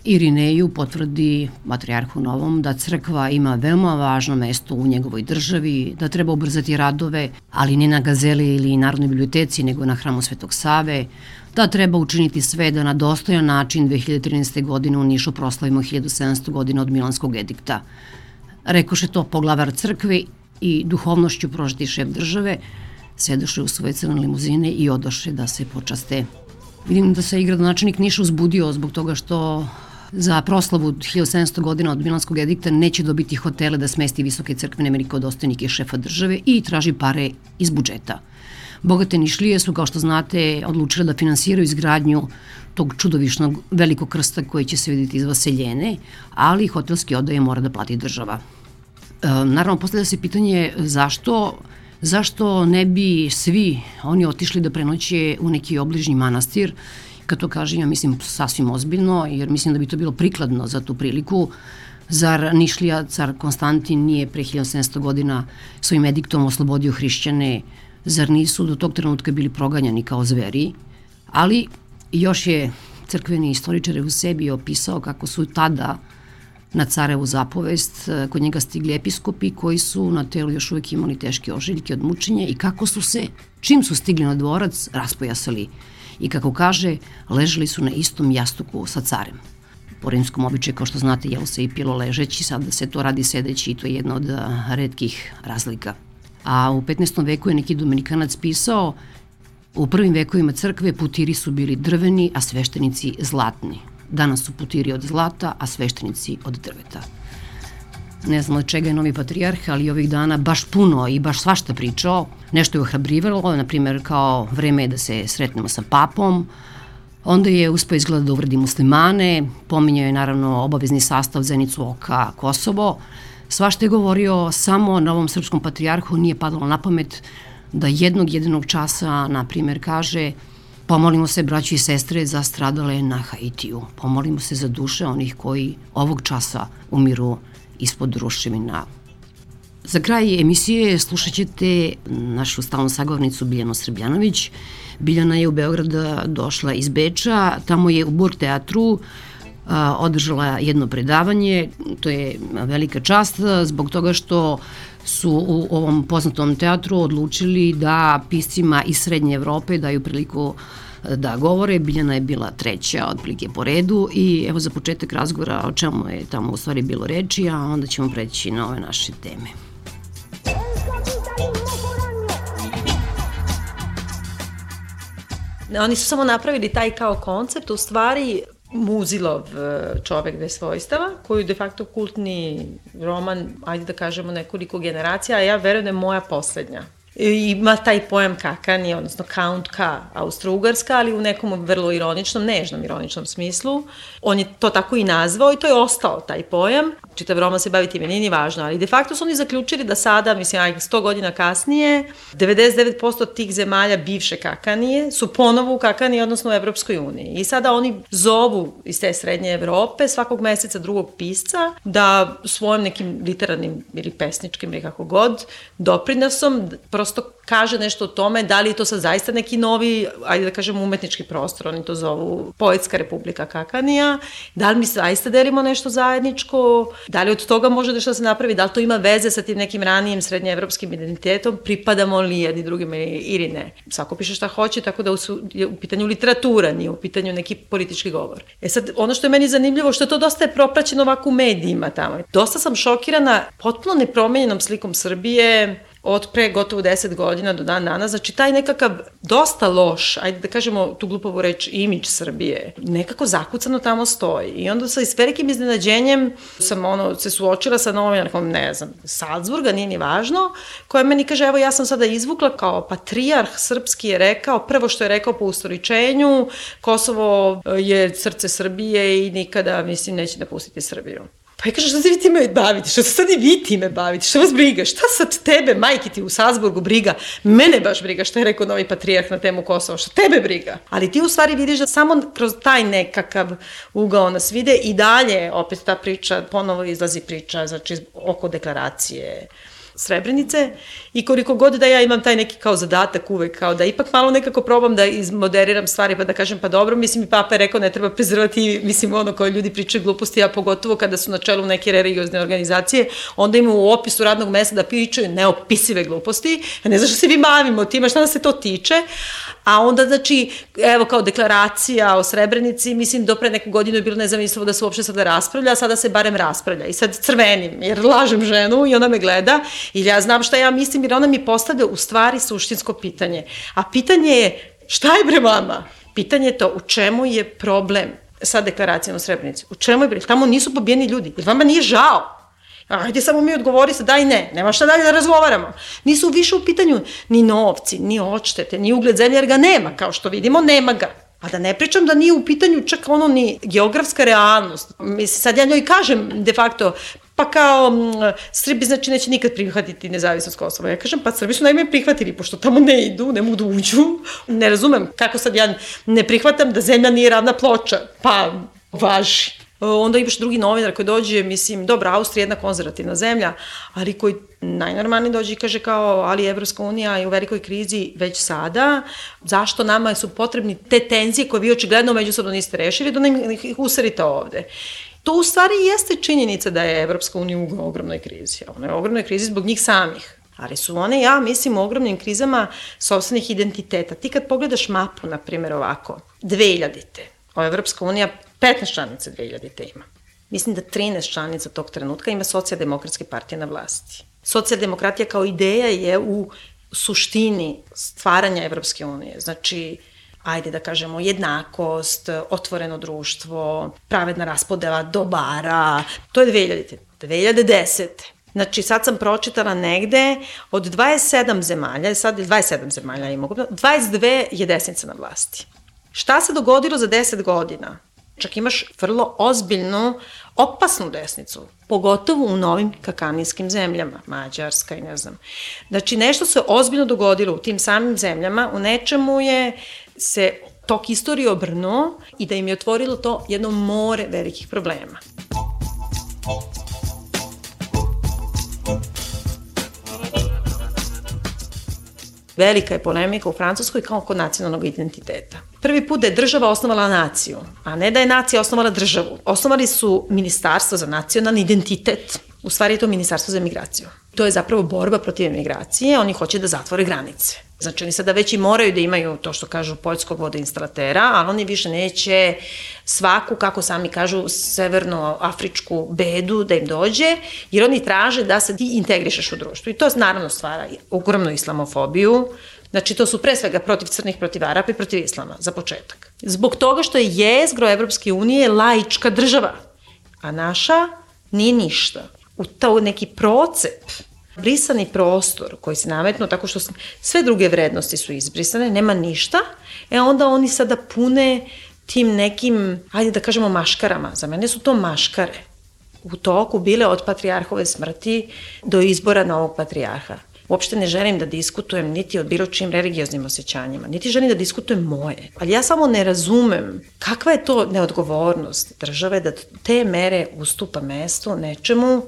Irineju potvrdi patrijarhu novom da crkva ima veoma važno mesto u njegovoj državi, da treba ubrzati radove, ali ne na Gazeli ili Narodnoj biblioteci, nego na hramu Svetog Save, da treba učiniti sve da na dostojan način 2013. godine u Nišu proslavimo 1700 godina od Milanskog edikta. Rekoše to poglavar crkve i duhovnošću prožeti šef države, sedoše u svoje crne limuzine i odoše da se počaste. Vidim da se i gradonačelnik Niša uzbudio zbog toga što za proslavu 1700 godina od Milanskog edikta neće dobiti hotele da smesti visoke crkvene velikodostojnike šefa države i traži pare iz budžeta. Bogate Nišlije su, kao što znate, odlučile da finansiraju izgradnju tog čudovišnog velikog krsta koji će se vidjeti iz Vaseljene, ali hotelski odaje mora da plati država. Naravno, postavlja se pitanje zašto ne bi svi oni otišli da prenoće u neki obližnji manastir. Kad to kažem, ja mislim sasvim ozbiljno, jer mislim da bi to bilo prikladno za tu priliku. Zar Nišlija, car Konstantin, nije pre 1700 godina svojim ediktom oslobodio hrišćane? Zar nisu do tog trenutka bili proganjani kao zveri? Ali još je crkveni istoričar u sebi opisao kako su tada na carevu zapovest kod njega stigli episkopi koji su na telu još uvek imali teške ožiljke od mučenja i kako su se, čim su stigli na dvorac, raspojasali. I kako kaže, ležali su na istom jastuku sa carem. Po rimskom običaju, kao što znate, jelo se i pilo ležeći, sada se to radi sedeći i to je jedna od retkih razlika. A u 15. veku je neki Dominikanac pisao, u prvim vekovima crkve putiri su bili drveni, a sveštenici zlatni. Danas su putiri od zlata, a sveštenici od drveta. Ne znam od čega je novi patrijarh, ali ovih dana baš puno i baš svašta pričao. Nešto je ohrabrivalo, na primjer kao vreme je da se sretnemo sa papom. Onda je uspeo izgleda da uvredi muslimane, pominjao je naravno obavezni sastav Zenicu oka Kosovo. Svašta je govorio, samo novom srpskom patrijarhu nije padalo na pamet da jednog jedinog časa, na primjer, kaže: pomolimo se, braći i sestre, za stradale na Haitiju. Pomolimo se za duše onih koji ovog časa umiru ispod ruševina. Za kraj emisije slušat ćete našu stalnu sagovornicu Biljanu Srbljanović. Biljana je u Beograd došla iz Beča, tamo je u Burg teatru održala jedno predavanje. To je velika čast zbog toga što su u ovom poznatom teatru odlučili da piscima iz Srednje Evrope daju priliku da govore. Biljana je bila treća otprilike po redu i evo za početak razgovora o čemu je tamo u stvari bilo reči, a onda ćemo preći na ove naše teme. Oni su samo napravili taj kao koncept, u stvari Muzilov čovek bez svojstava, koji je de facto kultni roman, ajde da kažemo nekoliko generacija, a ja verujem da je moja poslednja. Ima taj pojam kakani, odnosno Count K, Austro-Ugarska, ali u nekom vrlo ironičnom, nežnom ironičnom smislu. On je to tako i nazvao i to je ostao taj pojam. Čitav roman se bavi time, nije važno, ali de facto su oni zaključili da sada, mislim, 100 godina kasnije, 99% tih zemalja bivše Kakanije su ponovo u Kakaniji, odnosno u Evropskoj uniji. I sada oni zovu iz te Srednje Evrope svakog meseca drugog pisca da svojim nekim literarnim ili pesničkim ili kako god doprinosom prosto kaže nešto o tome da li je to sad zaista neki novi, ajde da kažem, umetnički prostor, oni to zovu Poetska republika Kakanija, da li mi zaista delimo nešto zajedničko, da li od toga može nešto da se napravi, da li to ima veze sa tim nekim ranijim srednjeevropskim identitetom, pripadamo li jedni drugima ili ne. Svako piše šta hoće, tako da je u pitanju literatura, nije u pitanju neki politički govor. Sad, ono što je meni zanimljivo, što to dosta je propraćeno ovako u medijima tamo. Dosta sam šokirana potpuno nepromenjenom slikom Srbije od pre gotovo 10 godina do dan danas, znači taj nekakav dosta loš, ajde da kažemo tu glupovu reč, imidž Srbije, nekako zakucano tamo stoji. I onda sa velikim iznenađenjem sam se suočila sa novinarkom, ne znam, Salzburga, nije ni važno, koja meni kaže, evo ja sam sada izvukla kao patrijarh srpski je rekao, prvo što je rekao po ustoličenju, Kosovo je srce Srbije i nikada, mislim, neće da pustiti Srbiju. Pa ja kažem, što se vi time bavite? Što se sad i vi time bavite? Što vas briga? Šta sad tebe, majke ti u Salzburgu briga? Mene baš briga što je rekao novi patrijarh na temu Kosova. Što tebe briga? Ali ti u stvari vidiš da samo kroz taj nekakav ugao nas vide i dalje opet ta priča, ponovo izlazi priča, znači oko deklaracije Srebrenice i koliko god da ja imam taj neki kao zadatak uvek, kao da ipak malo nekako probam da izmoderiram stvari pa da kažem pa dobro, mislim i Papa je rekao ne treba prezrvati, mislim ono koje ljudi pričaju gluposti, a pogotovo kada su na čelu neke religiozne organizacije, onda imaju u opisu radnog mesta da pričaju neopisive gluposti, a ne znaš što se vi bavimo time, šta nas se to tiče, a onda znači, evo kao deklaracija o Srebrenici, mislim do pre neku godinu je bilo nezamislivo da se uopšte sada raspravlja, a sada se barem raspravlja i sad crvenim, jer lažem ženu i ona me gleda ili ja znam šta ja mislim jer ona mi postavlja u stvari suštinsko pitanje. A pitanje je šta je bre vama? Pitanje je to u čemu je problem? sa deklaracijom u Srebrenici? U čemu je bre? Tamo nisu pobijeni ljudi. Jer vama nije žao? Ajde samo mi odgovori se da i ne. Nema šta dalje da razgovaramo. Nisu više u pitanju ni novci, ni odštete, ni ugled zemlje, jer ga nema. Kao što vidimo, nema ga. A da ne pričam da nije u pitanju čak ono ni geografska realnost. Mislim, sad ja njoj kažem de facto, pa kao Srbi znači neće nikad prihvatiti nezavisnost Kosova. Ja kažem, pa Srbi su najme prihvatili, pošto tamo ne idu, ne mogu da uđu. Ne razumem kako sad ja ne prihvatam da zemlja nije ravna ploča. Pa važi. Onda imaš drugi novinar koji dođe, mislim, dobra, Austrija je jedna konzervativna zemlja, ali koji najnormalnije dođe i kaže kao, ali Evropska unija je u velikoj krizi već sada, zašto nama su potrebni te tenzije koje vi očigledno međusobno niste rešili, da nam ih userite ovde. To u stvari jeste činjenica da je Evropska unija u ogromnoj krizi. Ona je u ogromnoj krizi zbog njih samih. Ali su one, ja mislim, u ogromnim krizama sopstvenih identiteta. Ti kad pogledaš mapu, na primjer ovako, 2000-te, Evropska unija 15 članica 2000-te ima. Mislim da 13 članica tog trenutka ima socijaldemokratske partije na vlasti. Socijaldemokratija kao ideja je u suštini stvaranja Evropske unije. Znači, ajde da kažemo, jednakost, otvoreno društvo, pravedna raspodela dobara. To je 2000-te. 2010. Znači, sad sam pročitala negde od 27 zemalja, sad 27 zemalja ima, 22 je desnica na vlasti. Šta se dogodilo za 10 godina? Čak imaš vrlo ozbiljnu, opasnu desnicu, pogotovo u novim kakanijskim zemljama, Mađarska i ne znam. Znači, nešto se ozbiljno dogodilo u tim samim zemljama, u nečemu je se tok istorije obrnuo i da im je otvorilo to jedno more velikih problema. Velika je polemika u Francuskoj kao oko nacionalnog identiteta. Prvi put da je država osnovala naciju, a ne da je nacija osnovala državu. Osnovali su ministarstvo za nacionalni identitet. U stvari je to ministarstvo za emigraciju. To je zapravo borba protiv emigracije, oni hoće da zatvore granice. Znači oni sada već i moraju da imaju to što kažu poljskog vodoinstalatera, ali oni više neće svaku, kako sami kažu, severnoafričku bedu da im dođe, jer oni traže da se ti integrišeš u društvu. I to naravno stvara ogromnu islamofobiju. Znači to su pre svega protiv crnih, protiv Arapa i protiv islama, za početak. Zbog toga što je jezgro Evropske unije laička država, a naša nije ništa. U to neki procep, brisani prostor koji se nametnu tako što sve druge vrednosti su izbrisane, nema ništa, onda oni sada pune tim nekim, ajde da kažemo, maškarama. Za mene su to maškare. U toku bile od patrijarhove smrti do izbora novog patrijarha. Uopšte ne želim da diskutujem niti o bilo čim religioznim osjećanjima, niti želim da diskutujem moje. Ali ja samo ne razumem kakva je to neodgovornost države da te mere ustupa mesto nečemu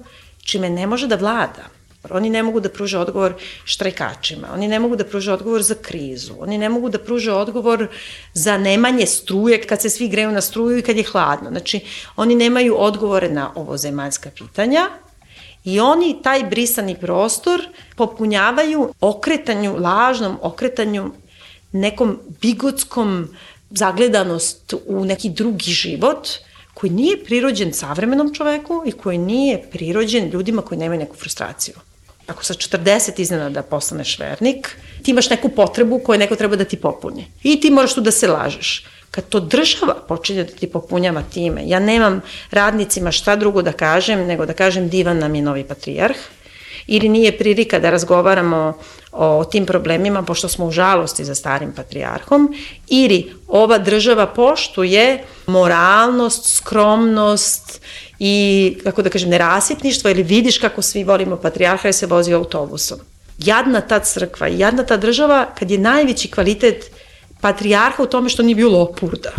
čime ne može da vlada. Oni ne mogu da pruže odgovor štrajkačima, oni ne mogu da pruže odgovor za krizu, oni ne mogu da pruže odgovor za nemanje struje kad se svi greju na struju i kad je hladno. Znači, oni nemaju odgovore na ovozemaljska pitanja i oni taj brisani prostor popunjavaju lažnom okretanju, nekom bigotskom zagledanost u neki drugi život koji nije prirođen savremenom čoveku i koji nije prirođen ljudima koji nemaju neku frustraciju. Ako sa 40 iznenada postaneš vernik, ti imaš neku potrebu koju neko treba da ti popuni. I ti moraš tu da se lažeš. Kad to država počinje da ti popunjava time, ja nemam radnicima šta drugo da kažem, nego da kažem divan nam je novi patrijarh, ili nije prilika da razgovaramo o tim problemima, pošto smo u žalosti za starim patrijarhom, ili ova država poštuje moralnost, skromnost i, kako da kažem, nerasipništvo, ili vidiš kako svi volimo patrijarha i se vozi autobusom. Jadna ta crkva i jadna ta država kad je najveći kvalitet patrijarha u tome što nije bio lopurda,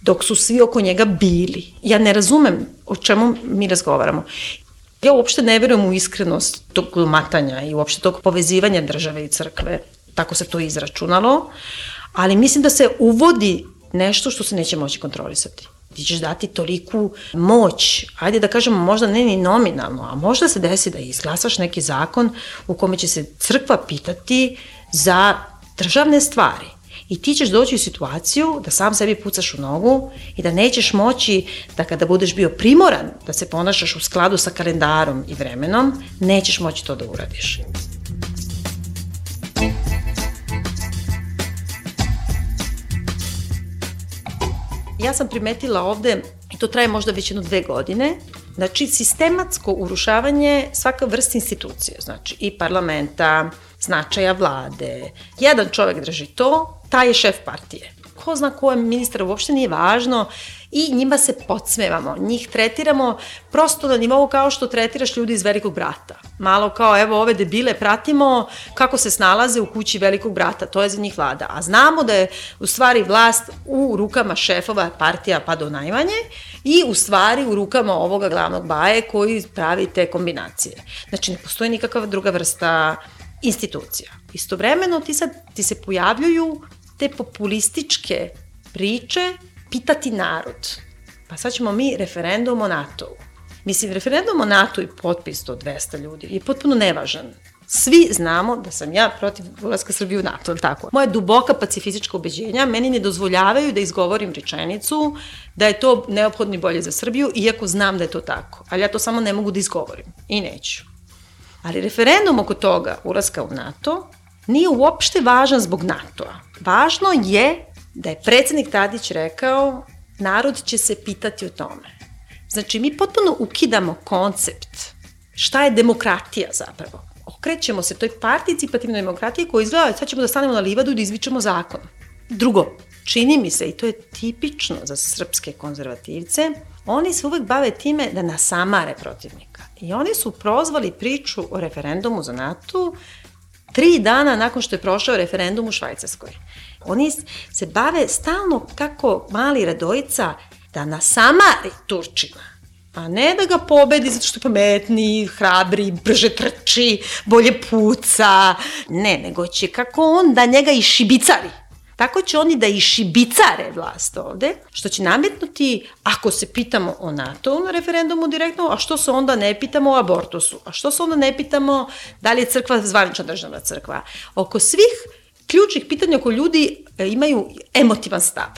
dok su svi oko njega bili. Ja ne razumem o čemu mi razgovaramo. Ja uopšte ne verujem u iskrenost tog glumatanja i uopšte tog povezivanja države i crkve. Tako se to izračunalo. Ali mislim da se uvodi nešto što se neće moći kontrolisati. Ti ćeš dati toliku moć, ajde da kažemo možda ne ni nominalno, a možda se desi da izglasaš neki zakon u kome će se crkva pitati za državne stvari. I ti ćeš doći u situaciju da sam sebi pucaš u nogu i da nećeš moći da kada budeš bio primoran da se ponašaš u skladu sa kalendarom i vremenom, nećeš moći to da uradiš. Ja sam primetila ovde, i to traje možda već 1-2 godine, znači sistematsko urušavanje svaka vrsta institucije, znači i parlamenta, značaja vlade. Jedan čovek drži to, taj je šef partije. Ko zna ko je ministar, uopšte nije važno i njima se podsmevamo, njih tretiramo prosto na nivou kao što tretiraš ljudi iz Velikog brata. Malo kao, evo, ove debile pratimo kako se snalaze u kući Velikog brata, to je za njih vlada. A znamo da je u stvari vlast u rukama šefova partija pa do najmanje i u stvari u rukama ovoga glavnog baje koji pravi te kombinacije. Znači, ne postoji nikakva druga vrsta institucija. Istovremeno ti se pojavljuju te populističke priče pitati narod. Pa sad ćemo mi referendum o NATO-u. Mislim, referendum o NATO i potpis od 200 ljudi je potpuno nevažan. Svi znamo da sam ja protiv ulaska Srbije u NATO, tako. Moje duboka pacifistička ubeđenja meni ne dozvoljavaju da izgovorim rečenicu da je to neophodno i bolje za Srbiju, iako znam da je to tako. Ali ja to samo ne mogu da izgovorim i neću. Ali referendum oko toga ulaska u NATO nije uopšte važan zbog NATO-a. Važno je da je predsednik Tadić rekao narod će se pitati o tome. Znači, mi potpuno ukidamo koncept šta je demokratija zapravo. Okrećemo se toj participativnoj demokratiji koja izgleda sad ćemo da stanemo na livadu i da izvičemo zakon. Drugo, čini mi se, i to je tipično za srpske konzervativce, oni se uvek bave time da nasamare protivnika. I oni su prozvali priču o referendumu za NATO 3 dana nakon što je prošao referendum u Švajcarskoj. Oni se bave stalno kako mali Radojica da nasamari Turčina, a ne da ga pobedi zato što je pametniji, hrabri, brže trči, bolje puca. Ne, nego će kako on da njega išibicari. Tako će oni da išibicare vlast ovde, što će nametnuti, ako se pitamo o NATO na referendumu direktno, a što se onda ne pitamo o abortusu, a što se onda ne pitamo da li je crkva zvanična državna crkva. Oko svih ključnih pitanja oko ljudi imaju emotivan stav.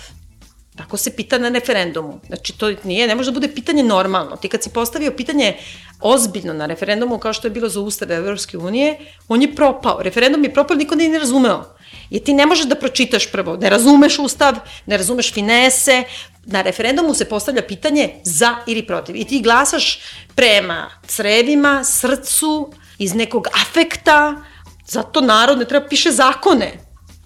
Tako se pita na referendumu. Znači, to ne može da bude pitanje normalno. Ti kad si postavio pitanje ozbiljno na referendumu, kao što je bilo za Ustav Evropske unije, on je propao. Referendum je propao, niko nije ne razumeo. Jer ti ne možeš da pročitaš prvo. Ne razumeš Ustav, ne razumeš finese. Na referendumu se postavlja pitanje za ili protiv. I ti glasaš prema crevima, srcu, iz nekog afekta. Zato narod ne treba piše zakone.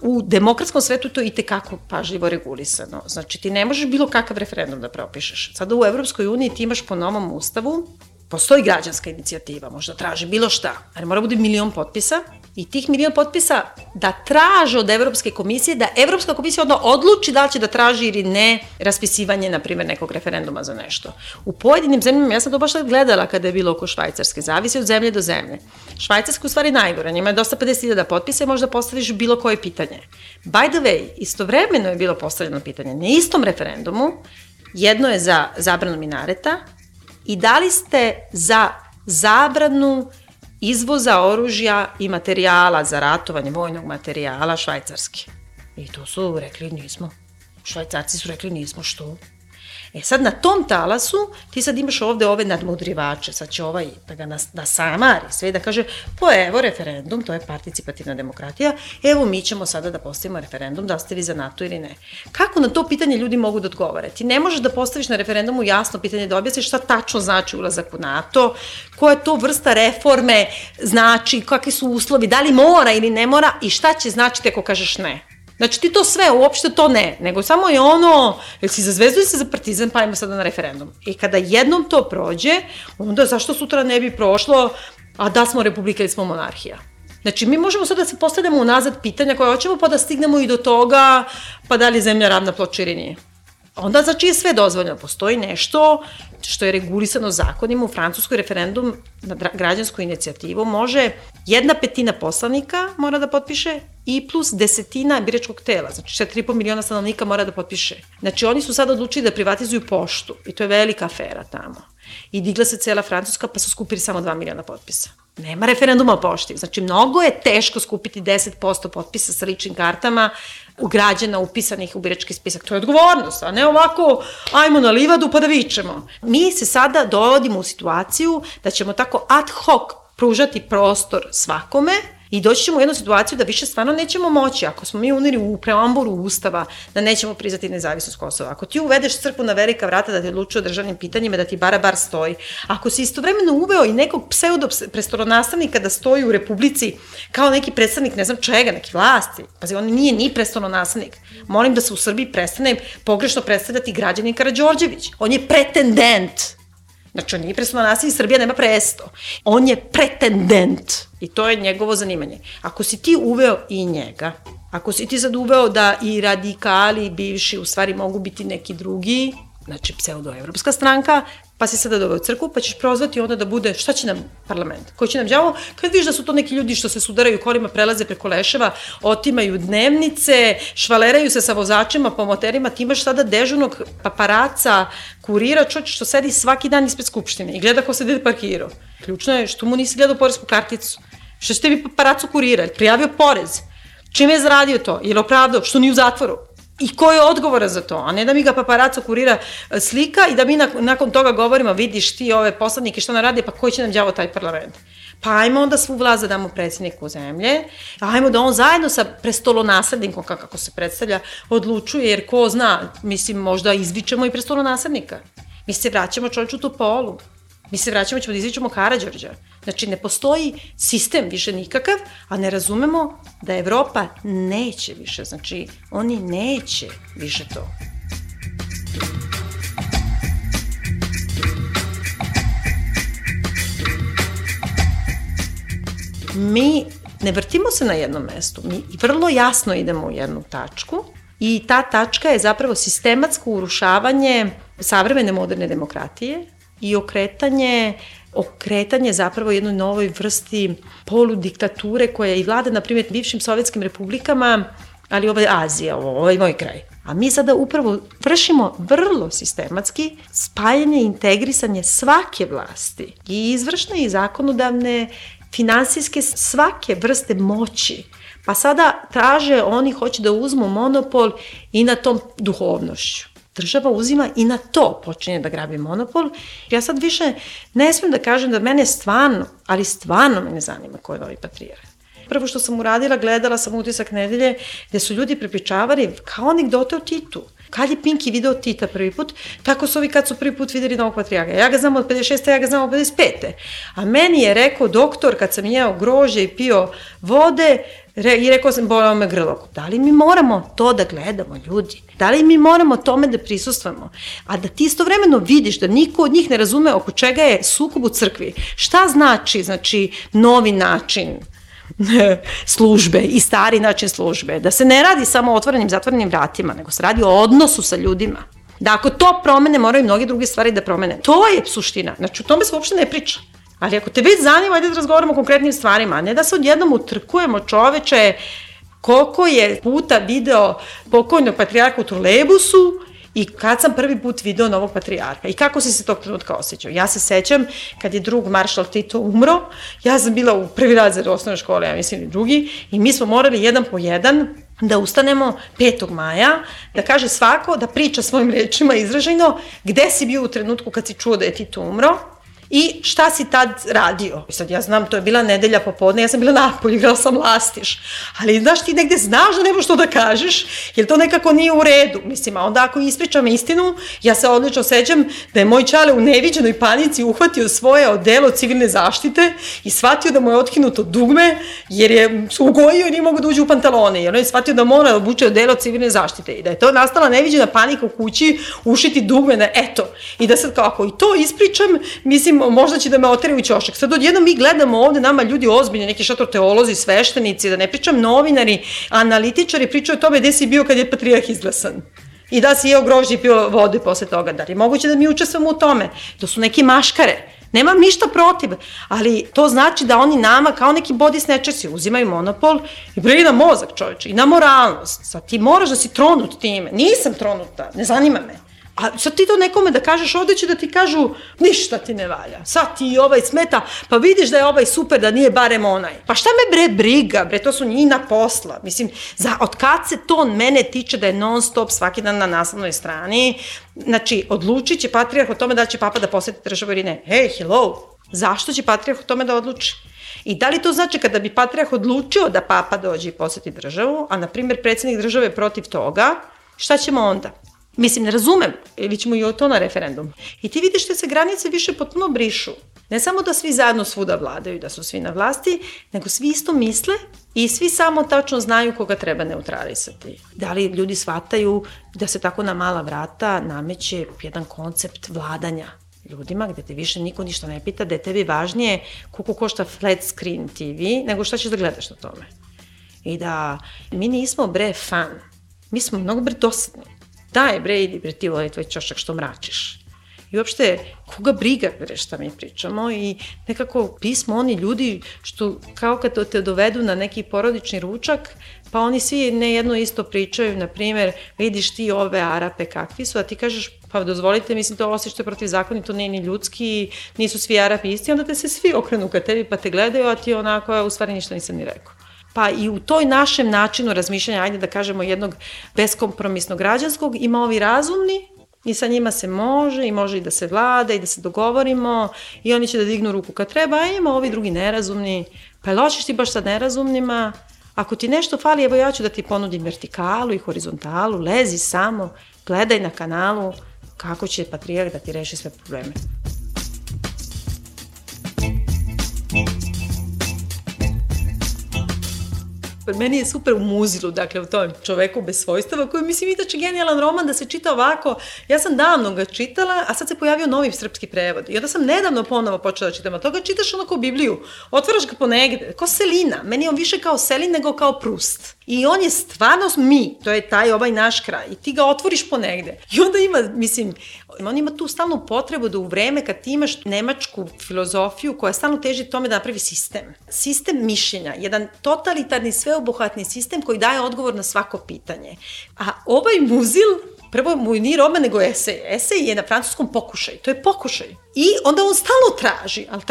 U demokratskom svetu to je itekako pažljivo regulisano. Znači, ti ne možeš bilo kakav referendum da propišeš. Sada u Evropskoj uniji ti imaš po novom ustavu, postoji građanska inicijativa, možda traži bilo šta, ali mora bude 1.000.000 potpisa i tih 1.000.000 potpisa da traže od Evropske komisije, da Evropska komisija onda odluči da li će da traži ili ne raspisivanje, na primjer, nekog referenduma za nešto. U pojedinim zemljama, ja sam to baš gledala kada je bilo oko Švajcarske, zavisi od zemlje do zemlje. Švajcarska u stvari najgore, njima je dosta 50.000 potpisa i možda postaviš bilo koje pitanje. By the way, istovremeno je bilo postavljeno pitanje na istom referendumu, jedno je za zabranu minareta i da li ste za zabranu izvoza oružja i materijala za ratovanje, vojnog materijala Švajcarske. I to su rekli nismo. Švajcarci su rekli nismo, što? E sad na tom talasu ti sad imaš ovde ove nadmudrivače, sad će ovaj da ga nasamari sve da kaže, evo referendum, to je participativna demokratija, evo mi ćemo sada da postavimo referendum, da ste vi za NATO ili ne. Kako na to pitanje ljudi mogu da odgovore? Ti ne možeš da postaviš na referendumu jasno pitanje, da objasniš šta tačno znači ulazak u NATO, koja to vrsta reforme znači, kakvi su uslovi, da li mora ili ne mora i šta će značiti ako kažeš ne. Znači ti to sve, uopšte to ne, nego samo je ono, jel si za Zvezdu ili si za Partizan, pa ajmo sada na referendum. I kada jednom to prođe, onda zašto sutra ne bi prošlo, a da smo republika ili smo monarhija. Znači mi možemo sad da se postavljamo unazad pitanja koje hoćemo, pa da stignemo i do toga, pa da li je zemlja ravna ploča ili nije. Onda znači je sve dozvoljeno. Postoji nešto što je regulisano zakonima. U Francuskoj referendum na građansku inicijativu može 1/5 poslanika mora da potpiše i plus 10 biračkog tela. Znači 4,5 miliona stanovnika mora da potpiše. Znači oni su sad odlučili da privatizuju poštu i to je velika afera tamo. I digla se cela Francuska pa su skupili samo 2 miliona potpisa. Nema referenduma o pošti. Znači mnogo je teško skupiti 10% potpisa sa ličnim kartama u građana upisanih u birački spisak. To je odgovornost, a ne ovako ajmo na livadu pa da vičemo. Mi se sada dovodimo u situaciju da ćemo tako ad hoc pružati prostor svakome I doći ćemo u jednu situaciju da više stvarno nećemo moći, ako smo mi uneli u preambulu Ustava, da nećemo priznati nezavisnost Kosova. Ako ti uvedeš crkvu na velika vrata da ti odlučuje o državnim pitanjima, da ti bar stoji. Ako si istovremeno uveo i nekog prestolonastavnika da stoji u Republici kao neki predstavnik, ne znam čega, neki vlasti, pazi, on nije ni prestolonastavnik. Molim da se u Srbiji prestane pogrešno predstavljati građanin Karađorđević. On je pretendent. Znači, on nije prestolonastavnik, Srbija nema presto. On je pretendent i to je njegovo zanimanje. Ako si ti uveo i njega, ako si ti sad uveo da i radikali bivši u stvari mogu biti neki drugi, znači pseudoevropska stranka, pa si sada doveo crkvu, pa ćeš prozvati onda da bude, šta će nam parlament? Koji će nam đavo? Kad vidiš da su to neki ljudi što se sudaraju kolima, prelaze preko leševa, otimaju dnevnice, švaleraju se sa vozačima po moterima, ti imaš sada dežurnog paparaca, kurira, čovječ što sedi svaki dan ispred Skupštine i gleda ko se dede parkirao. Ključno je što mu nisi gledao poresku karticu. Što ste bi paparacu kurira? Prijavio porez? Čime je zaradio to? Je li opravdao? Što nije u zatvoru? I ko je odgovora za to? A ne da mi ga paparaco kurira slika i da mi nakon toga govorimo, vidiš ti ove poslanike što nam radi, pa koji će nam đavo taj parlament? Pa ajmo onda svu vlast da damo predsjedniku zemlje, ajmo da on zajedno sa prestolonaslednikom, kako se predstavlja, odlučuje, jer ko zna, mislim, možda izvičemo i prestolonaslednika. Mi se vraćamo čovječu Topolu. Mi se vraćamo, ćemo da izvičemo Karađorđa. Znači, ne postoji sistem više nikakav, a ne razumemo da Evropa neće više. Znači, oni neće više to. Mi ne vrtimo se na jednom mestu. Mi vrlo jasno idemo u jednu tačku i ta tačka je zapravo sistematsko urušavanje savremene moderne demokratije i okretanje zapravo jednoj novoj vrsti poludiktature koja i vlada, na primjer, bivšim sovjetskim republikama, ali ovo je Azija, ovo je moj kraj. A mi sada upravo vršimo vrlo sistematski spajanje i integrisanje svake vlasti, i izvršne i zakonodavne, finansijske, svake vrste moći. Pa sada traže, oni hoće da uzmu monopol i na tom duhovnošću. Država uzima i na to počinje da grabi monopol. Ja sad više ne smijem da kažem da mene stvarno, ali stvarno me ne zanima ko je novi patrijarh. Prvo što sam uradila, gledala sam Utisak nedelje gde su ljudi prepričavali kao anegdote o Titu. Kad je Pinky video Tita prvi put, tako su ovi kad su prvi put videli novog patrijarha. Ja ga znam od 56. ja ga znam od 55. A meni je rekao doktor kad sam jeo grožđe i pio vode i rekao sam bolao me grlo. Da li mi moramo to da gledamo, ljudi? Da li mi moramo tome da prisustvamo? A da ti istovremeno vidiš da niko od njih ne razume oko čega je sukob u crkvi. Šta znači novi način službe i stari način službe, da se ne radi samo o otvorenim, zatvorenim vratima, nego se radi o odnosu sa ljudima. Da ako to promene, moraju i mnoge druge stvari da promene. To je suština, znači o tome se uopšte ne priča. Ali ako te već zanima, ajde da razgovaramo o konkretnim stvarima, a ne da se odjednom utrkujemo, čoveče, koliko je puta video pokojnog patrijarha u trolejbusu i kad sam prvi put video novog patrijarha i kako si se tog trenutka osjećao. Ja se sećam kad je drug maršal Tito umro, ja sam bila u prvi razred osnovne škole, ja mislim i drugi, i mi smo morali jedan po jedan da ustanemo 5. maja, da kaže svako, da priča svojim rečima izražajno gde si bio u trenutku kad si čuo da je Tito umro i šta si tad radio. I sad ja znam, to je bila nedelja popodne, ja sam bila napolju, igrala sam lastiš, ali znaš, ti negde znaš da nemaš što da kažeš, jer to nekako nije u redu. Mislim, a onda ako ispričam istinu, ja se odlično sećam da je moj čale u neviđenoj panici uhvatio svoje odelo civilne zaštite i shvatio da mu je otkinuto dugme, jer je ugojio i nije mogo da uđe u pantalone, jer on je shvatio da mora da obuče odelo civilne zaštite i da je to nastala neviđena panika u kući, ušiti dugme na eto. I da sad kako i to ispričam, mislim, možda će da me otere u ćošak. Sad odjedno mi gledamo ovde, nama ljudi ozbiljni, neki šator teolozi, sveštenici, da ne pričam novinari, analitičari pričaju o tome gde si bio kad je patrijarh izglasan. I da si jeo grožđe i pio vode posle toga. Da li je moguće da mi učestvamo u tome? To su neki maškare. Nemam ništa protiv, ali to znači da oni nama kao neki body snatchersi uzimaju monopol i bre i na mozak, čoveče, i na moralnost. Sad ti moraš da si tronut time. Nisam tronuta, ne zanima me. A sad ti to nekome da kažeš, ovde će da ti kažu ništa ti ne valja, sad ti ovaj smeta, pa vidiš da je ovaj super, da nije barem onaj. Pa šta me bre briga, bre, to su njina posla. Mislim, od kad se to mene tiče da je non stop svaki dan na naslovnoj strani, znači, odlučit će patrijarh o tome da li će papa da poseti državu ili ne. Hey, hello, zašto će patrijarh o tome da odluči? I da li to znači kada bi patrijarh odlučio da papa dođe i poseti državu, a na primjer predsjednik države je protiv toga, šta ćemo onda? Mislim, ne razumem, ili ćemo i o to na referendum. I ti vidiš da se granice više potpuno brišu. Ne samo da svi zajedno svuda vladaju, da su svi na vlasti, nego svi isto misle i svi samo tačno znaju koga treba neutralisati. Da li ljudi shvataju da se tako na mala vrata nameće jedan koncept vladanja ljudima, gde te više niko ništa ne pita, da je tebi važnije koliko košta flat screen TV, nego šta ćeš da gledaš na tome. I da mi nismo bre fan, mi smo mnogo bre dosadni. Daj bre, idi bre ti ovaj tvoj ćošak što mračiš. I uopšte, koga briga bre šta mi pričamo i nekako pismo oni ljudi što kao kad te dovedu na neki porodični ručak, pa oni svi ne jedno isto pričaju, na primjer, vidiš ti ove Arape kakvi su, a ti kažeš, pa dozvolite, mislim, to osjećate protiv zakona, to nije ni ljudski, nisu svi Arapi isti, onda te se svi okrenu ka tebi pa te gledaju, a ti onako, u stvari ništa nisam ni rekao. Pa i u toj našem načinu razmišljanja, ajde da kažemo jednog beskompromisnog građanskog, ima ovi razumni i sa njima se može i može i da se vlada i da se dogovorimo i oni će da dignu ruku kad treba, a ima ovi drugi nerazumni, pa jel hoćeš ti baš sa nerazumnima? Ako ti nešto fali, evo ja ću da ti ponudim vertikalu i horizontalu, lezi samo, gledaj na kanalu kako će patrijarh da ti reši sve probleme. Meni je super u Muzilu, dakle u tom Čoveku bez svojstava, koji mislim inače genijalan roman da se čita ovako. Ja sam davno ga čitala, a sad se pojavio novi srpski prevod. I onda sam nedavno ponovo počela da čitam, a toga čitaš ono kao Bibliju. Otvaraš ga ponegde, kao Selina. Meni je on više kao Selin nego kao Prust. I on je stvarno mi, to je taj ovaj naš kraj. I ti ga otvoriš ponegde. I onda ima, mislim, on ima tu stalnu potrebu da u vreme kad ti imaš nemačku filozofiju koja stalno teži tome da napravi sistem. Sistem mišljenja, jedan totalitarni sveobuhvatni sistem koji daje odgovor na svako pitanje. A ovaj Muzil, prvo mu nije roman nego esej. Esej je na francuskom pokušaj, to je pokušaj. I onda on stalno traži, ali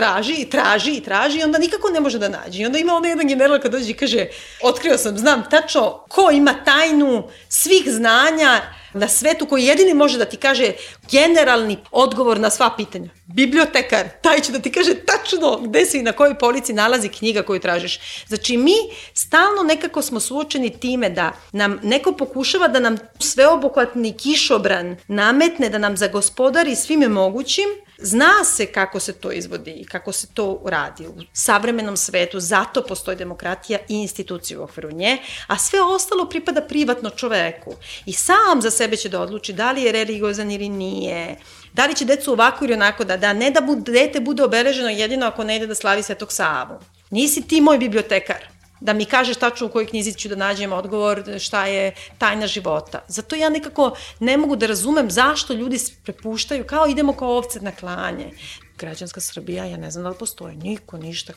traži i onda nikako ne može da nađe. I onda ima onaj jedan general kad dođe i kaže, otkrio sam, znam tačno ko ima tajnu svih znanja na svetu koji jedini može da ti kaže generalni odgovor na sva pitanja. Bibliotekar, taj će da ti kaže tačno gde se i na kojoj polici nalazi knjiga koju tražiš. Znači mi stalno nekako smo suočeni time da nam neko pokušava da nam sveobuhvatni kišobran nametne, da nam zagospodari svime mogućim. Zna se kako se to izvodi i kako se to radi u savremenom svetu, zato postoji demokratija i institucije u okviru nje, a sve ostalo pripada privatno čoveku. I sam za sebe će da odluči da li je religiozan ili nije, da li će decu ovako ili onako da ne da dete bude obeleženo jedino ako ne ide da slavi Svetog Savu. Nisi ti moj bibliotekar da mi kažeš tačno u kojoj knjizi ću da nađem odgovor šta je tajna života. Zato ja nekako ne mogu da razumem zašto ljudi prepuštaju, kao idemo kao ovce na klanje. Građanska Srbija, ja ne znam da li postoji niko, ništa,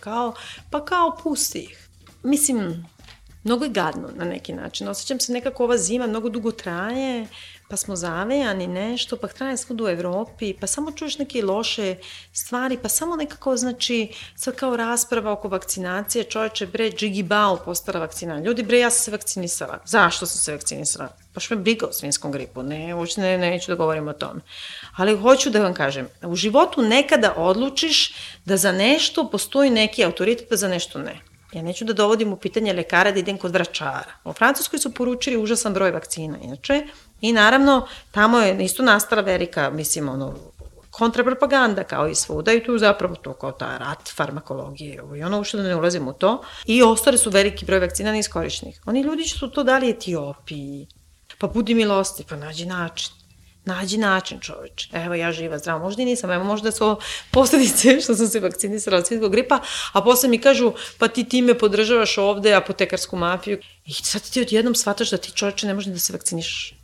kao pusti ih. Mislim, mnogo je gadno na neki način. Osjećam se nekako ova zima mnogo dugo traje, pa smo zavejani nešto, pa traje svud u Evropi, pa samo čuješ neke loše stvari, pa samo nekako, znači, sad kao rasprava oko vakcinacije, čovječe, bre, Džigi Bao postala vakcina. Ljudi, bre, ja sam se vakcinisala. Zašto sam se vakcinisala? Baš me briga o svinskom gripu, neću da govorim o tome. Ali hoću da vam kažem, u životu nekada odlučiš da za nešto postoji neki autoritet, a za nešto ne. Ja neću da dovodim u pitanje lekara da idem kod vračara. U Francuskoj su poručili užasan broj vakcina, inače. I naravno, tamo je isto nastala velika, mislim, kontrapropaganda kao i svuda i tu zapravo to kao ta rat farmakologije i ono uopšte da ne ulazim u to. I ostale su veliki broj vakcina neiskorišćenih. Oni ljudi su to dali Etiopiji, pa budi milosti, pa nađi način, čoveče. Evo ja živa, zdrava, možda i nisam, evo možda su posledice što sam se vakcinisala od svinjskog gripa, a posle mi kažu, pa ti time podržavaš ovde apotekarsku mafiju. I sad ti odjednom shvataš da ti, čoveče, ne može da se vakciniš.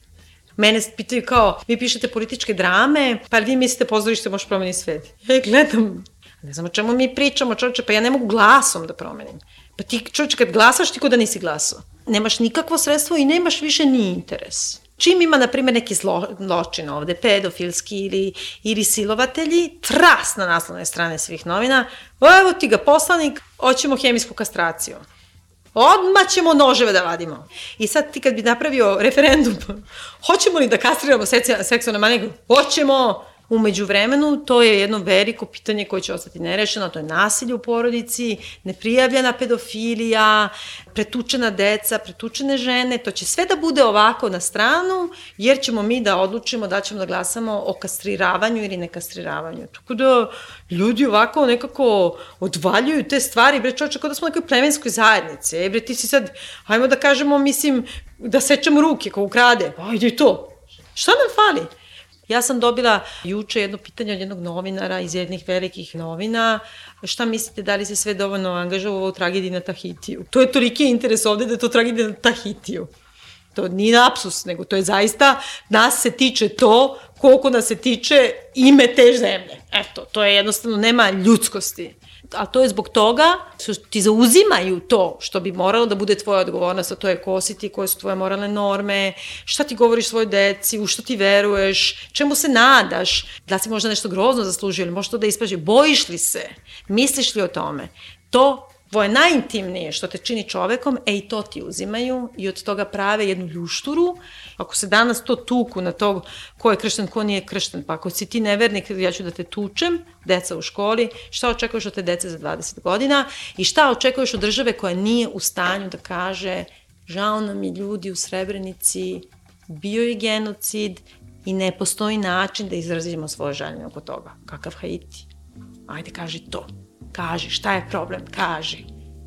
Mene pitaju kao, vi pišete političke drame, pa vi mislite pozorište može promeniti svet. Ja gledam, ne znam o čemu mi pričamo, čoveče, pa ja ne mogu glasom da promenim. Pa ti, čoveče, kad glasaš, ti ko da nisi glasao. Nemaš nikakvo sredstvo i nemaš više ni interes. Čim ima, na primjer, neki zločin ovde, pedofilski ili silovatelji, tras na naslovne strane svih novina, evo ti ga poslanik, hoćemo hemijsku kastraciju. Odmah ćemo noževe da vadimo. I sad ti kad bi napravio referendum, hoćemo li da kastriramo seksualne manije? Hoćemo. Umeđu vremenu, to je jedno veliko pitanje koje će ostati nerešeno, to je nasilje u porodici, neprijavljena pedofilija, pretučena deca, pretučene žene, to će sve da bude ovako na stranu, jer ćemo mi da odlučimo da ćemo da glasamo o kastriravanju ili nekastriravanju. Tako da ljudi ovako nekako odvaljuju te stvari, bre čovječe, kao da smo u nekoj plemenskoj zajednici, bre ti si sad, hajmo da kažemo, mislim, da sečemo ruke kao ukrade, ajde i to. Šta nam fali? Ja sam dobila juče jedno pitanje od jednog novinara iz jednih velikih novina. Šta mislite, da li se sve dovoljno angažovalo u tragediji na Tahitiju? To je toliki interes ovde da je to tragedija na Tahitiju. To nije lapsus, nego to je zaista, nas se tiče to koliko nas se tiče ime te zemlje. Eto, to je jednostavno, nema ljudskosti. A to je zbog toga što ti zauzimaju to što bi moralo da bude tvoja odgovornost, a to je ko si ti, koje su tvoje moralne norme, šta ti govoriš svojoj deci, u što ti veruješ, čemu se nadaš, da si možda nešto grozno zaslužio ili možeš to da ispraži, bojiš li se, misliš li o tome. To tvoje najintimnije što te čini čovekom, i to ti uzimaju i od toga prave jednu ljušturu. Ako se danas to tuku na to ko je kršten, ko nije kršten, pa ako si ti nevernik, ja ću da te tučem, deca u školi, šta očekuješ od te dece za 20 godina i šta očekuješ od države koja nije u stanju da kaže žao nam je ljudi u Srebrenici, bio je genocid i ne postoji način da izrazimo svoje žaljenje oko toga. Kakav Haiti? Ajde, kaži to. Kaži, šta je problem? Kaži.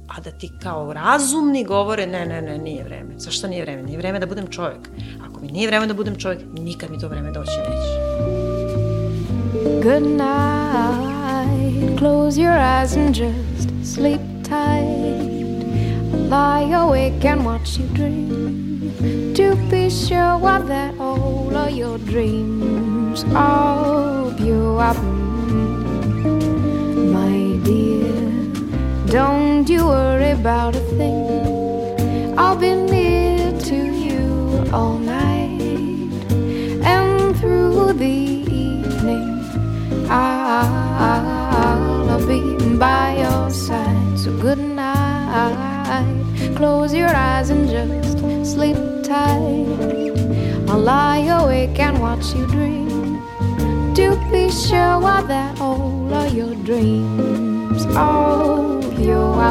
A da ti kao razumni govore, ne, nije vreme. Zašto nije vreme? Nije vreme da budem čovjek. Ako mi nije vreme da budem čovjek, nikad mi to vreme doći neće. Good night, close your eyes and just sleep tight. Lie awake and watch you dream. To be sure what that all of your dreams of you are. My dear, don't you worry about a thing. I'll be near to you all night, and through the evening I'll be by your side. So good night, close your eyes and just sleep tight. I'll lie awake and watch you dream. To be sure what that all of your dreams of your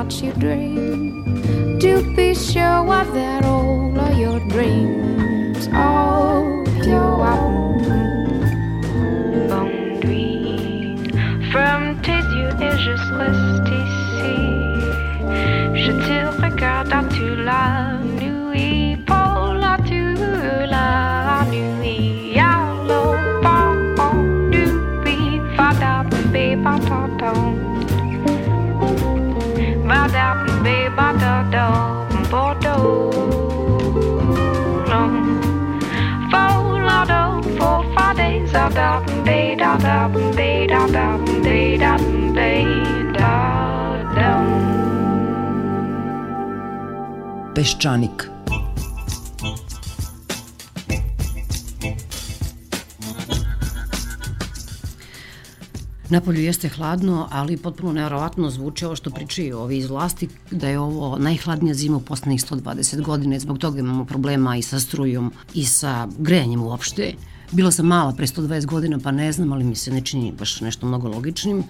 watch you dream. To be sure what that all of your dreams of your bonne nuit. From tes yeux et je reste ici. Je te regarde à toute la nuit. Pour la toute la nuit. Yellow ball du beat. Fada baby pardon. Badam be badado bodo folado for fades adam be dadam be dadam be dadam be dadam. Peščanik. Napolju jeste hladno, ali potpuno nevjerovatno zvuče ovo što pričaju ovi iz vlasti, da je ovo najhladnija zima u poslednjih 120 godina, zbog toga imamo problema i sa strujom i sa grejanjem uopšte. Bila sam mala pre 120 godina, pa ne znam, ali mi se ne čini baš nešto mnogo logičnim.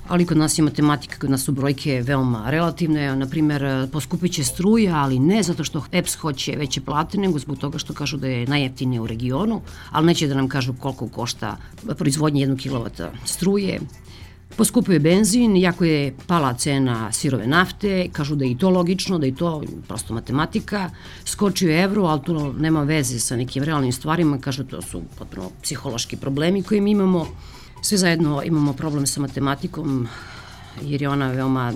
ali kod nas je matematika, kod nas su brojke veoma relativne, na primjer poskupiće struja, ali ne zato što EPS hoće veće plate, nego zbog toga što kažu da je najjeftinije u regionu, ali neće da nam kažu koliko košta proizvodnje 1 kW struje. Poskupio je benzin, jako je pala cena sirove nafte, kažu da je i to logično, da je to prosto matematika. Skočio je evro, ali to nema veze sa nekim realnim stvarima, kažu to su potpuno psihološki problemi koje mi imamo. Sve zajedno imamo problem sa matematikom, jer je ona veoma,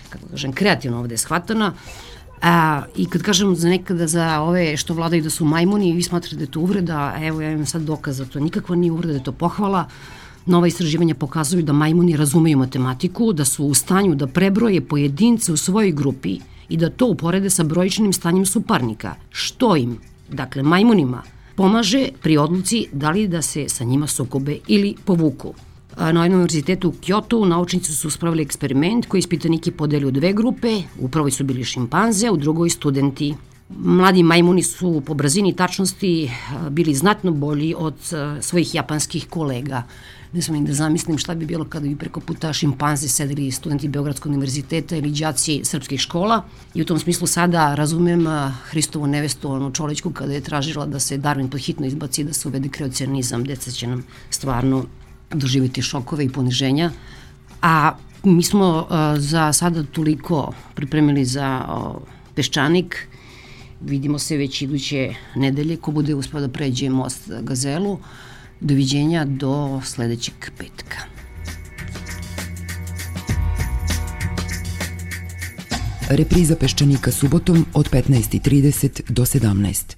kako kažem, kreativno ovde shvatana. I kad kažem nekada za ove što vladaju da su majmuni, vi smatrate da je to uvreda, evo ja imam sad dokaz da to nikakva nije uvreda, da je to pohvala. Nova istraživanja pokazuju da majmuni razumeju matematiku, da su u stanju da prebroje pojedince u svojoj grupi i da to uporede sa brojičnim stanjem suparnika, što im, dakle majmunima, pomaže pri odluci da li da se sa njima sukobe ili povuku. Na univerzitetu u Kyoto naučnici su spravili eksperiment koji ispitanike podeli u 2 grupe, u prvoj su bili šimpanze, u drugoj studenti. Mladi majmuni su po brzini i tačnosti bili znatno bolji od svojih japanskih kolega. Ne sam im da zamislim šta bi bilo kada bi preko puta šimpanze sedeli studenti Beogradskog univerziteta ili đaci srpskih škola. I u tom smislu sada razumem Hristovu nevestu, onu Čolićku, kada je tražila da se Darwin podhitno izbaci, da se uvede kreacionizam. Deca će nam stvarno doživjeti šokove i poniženja. A mi smo za sada toliko pripremili za Peščanik. Vidimo se već iduće nedelje, ko bude uspeo da pređe most Gazelu. Doviđenja do sledećeg petka. Repriza Peščanika subotom od 15:30 do 17.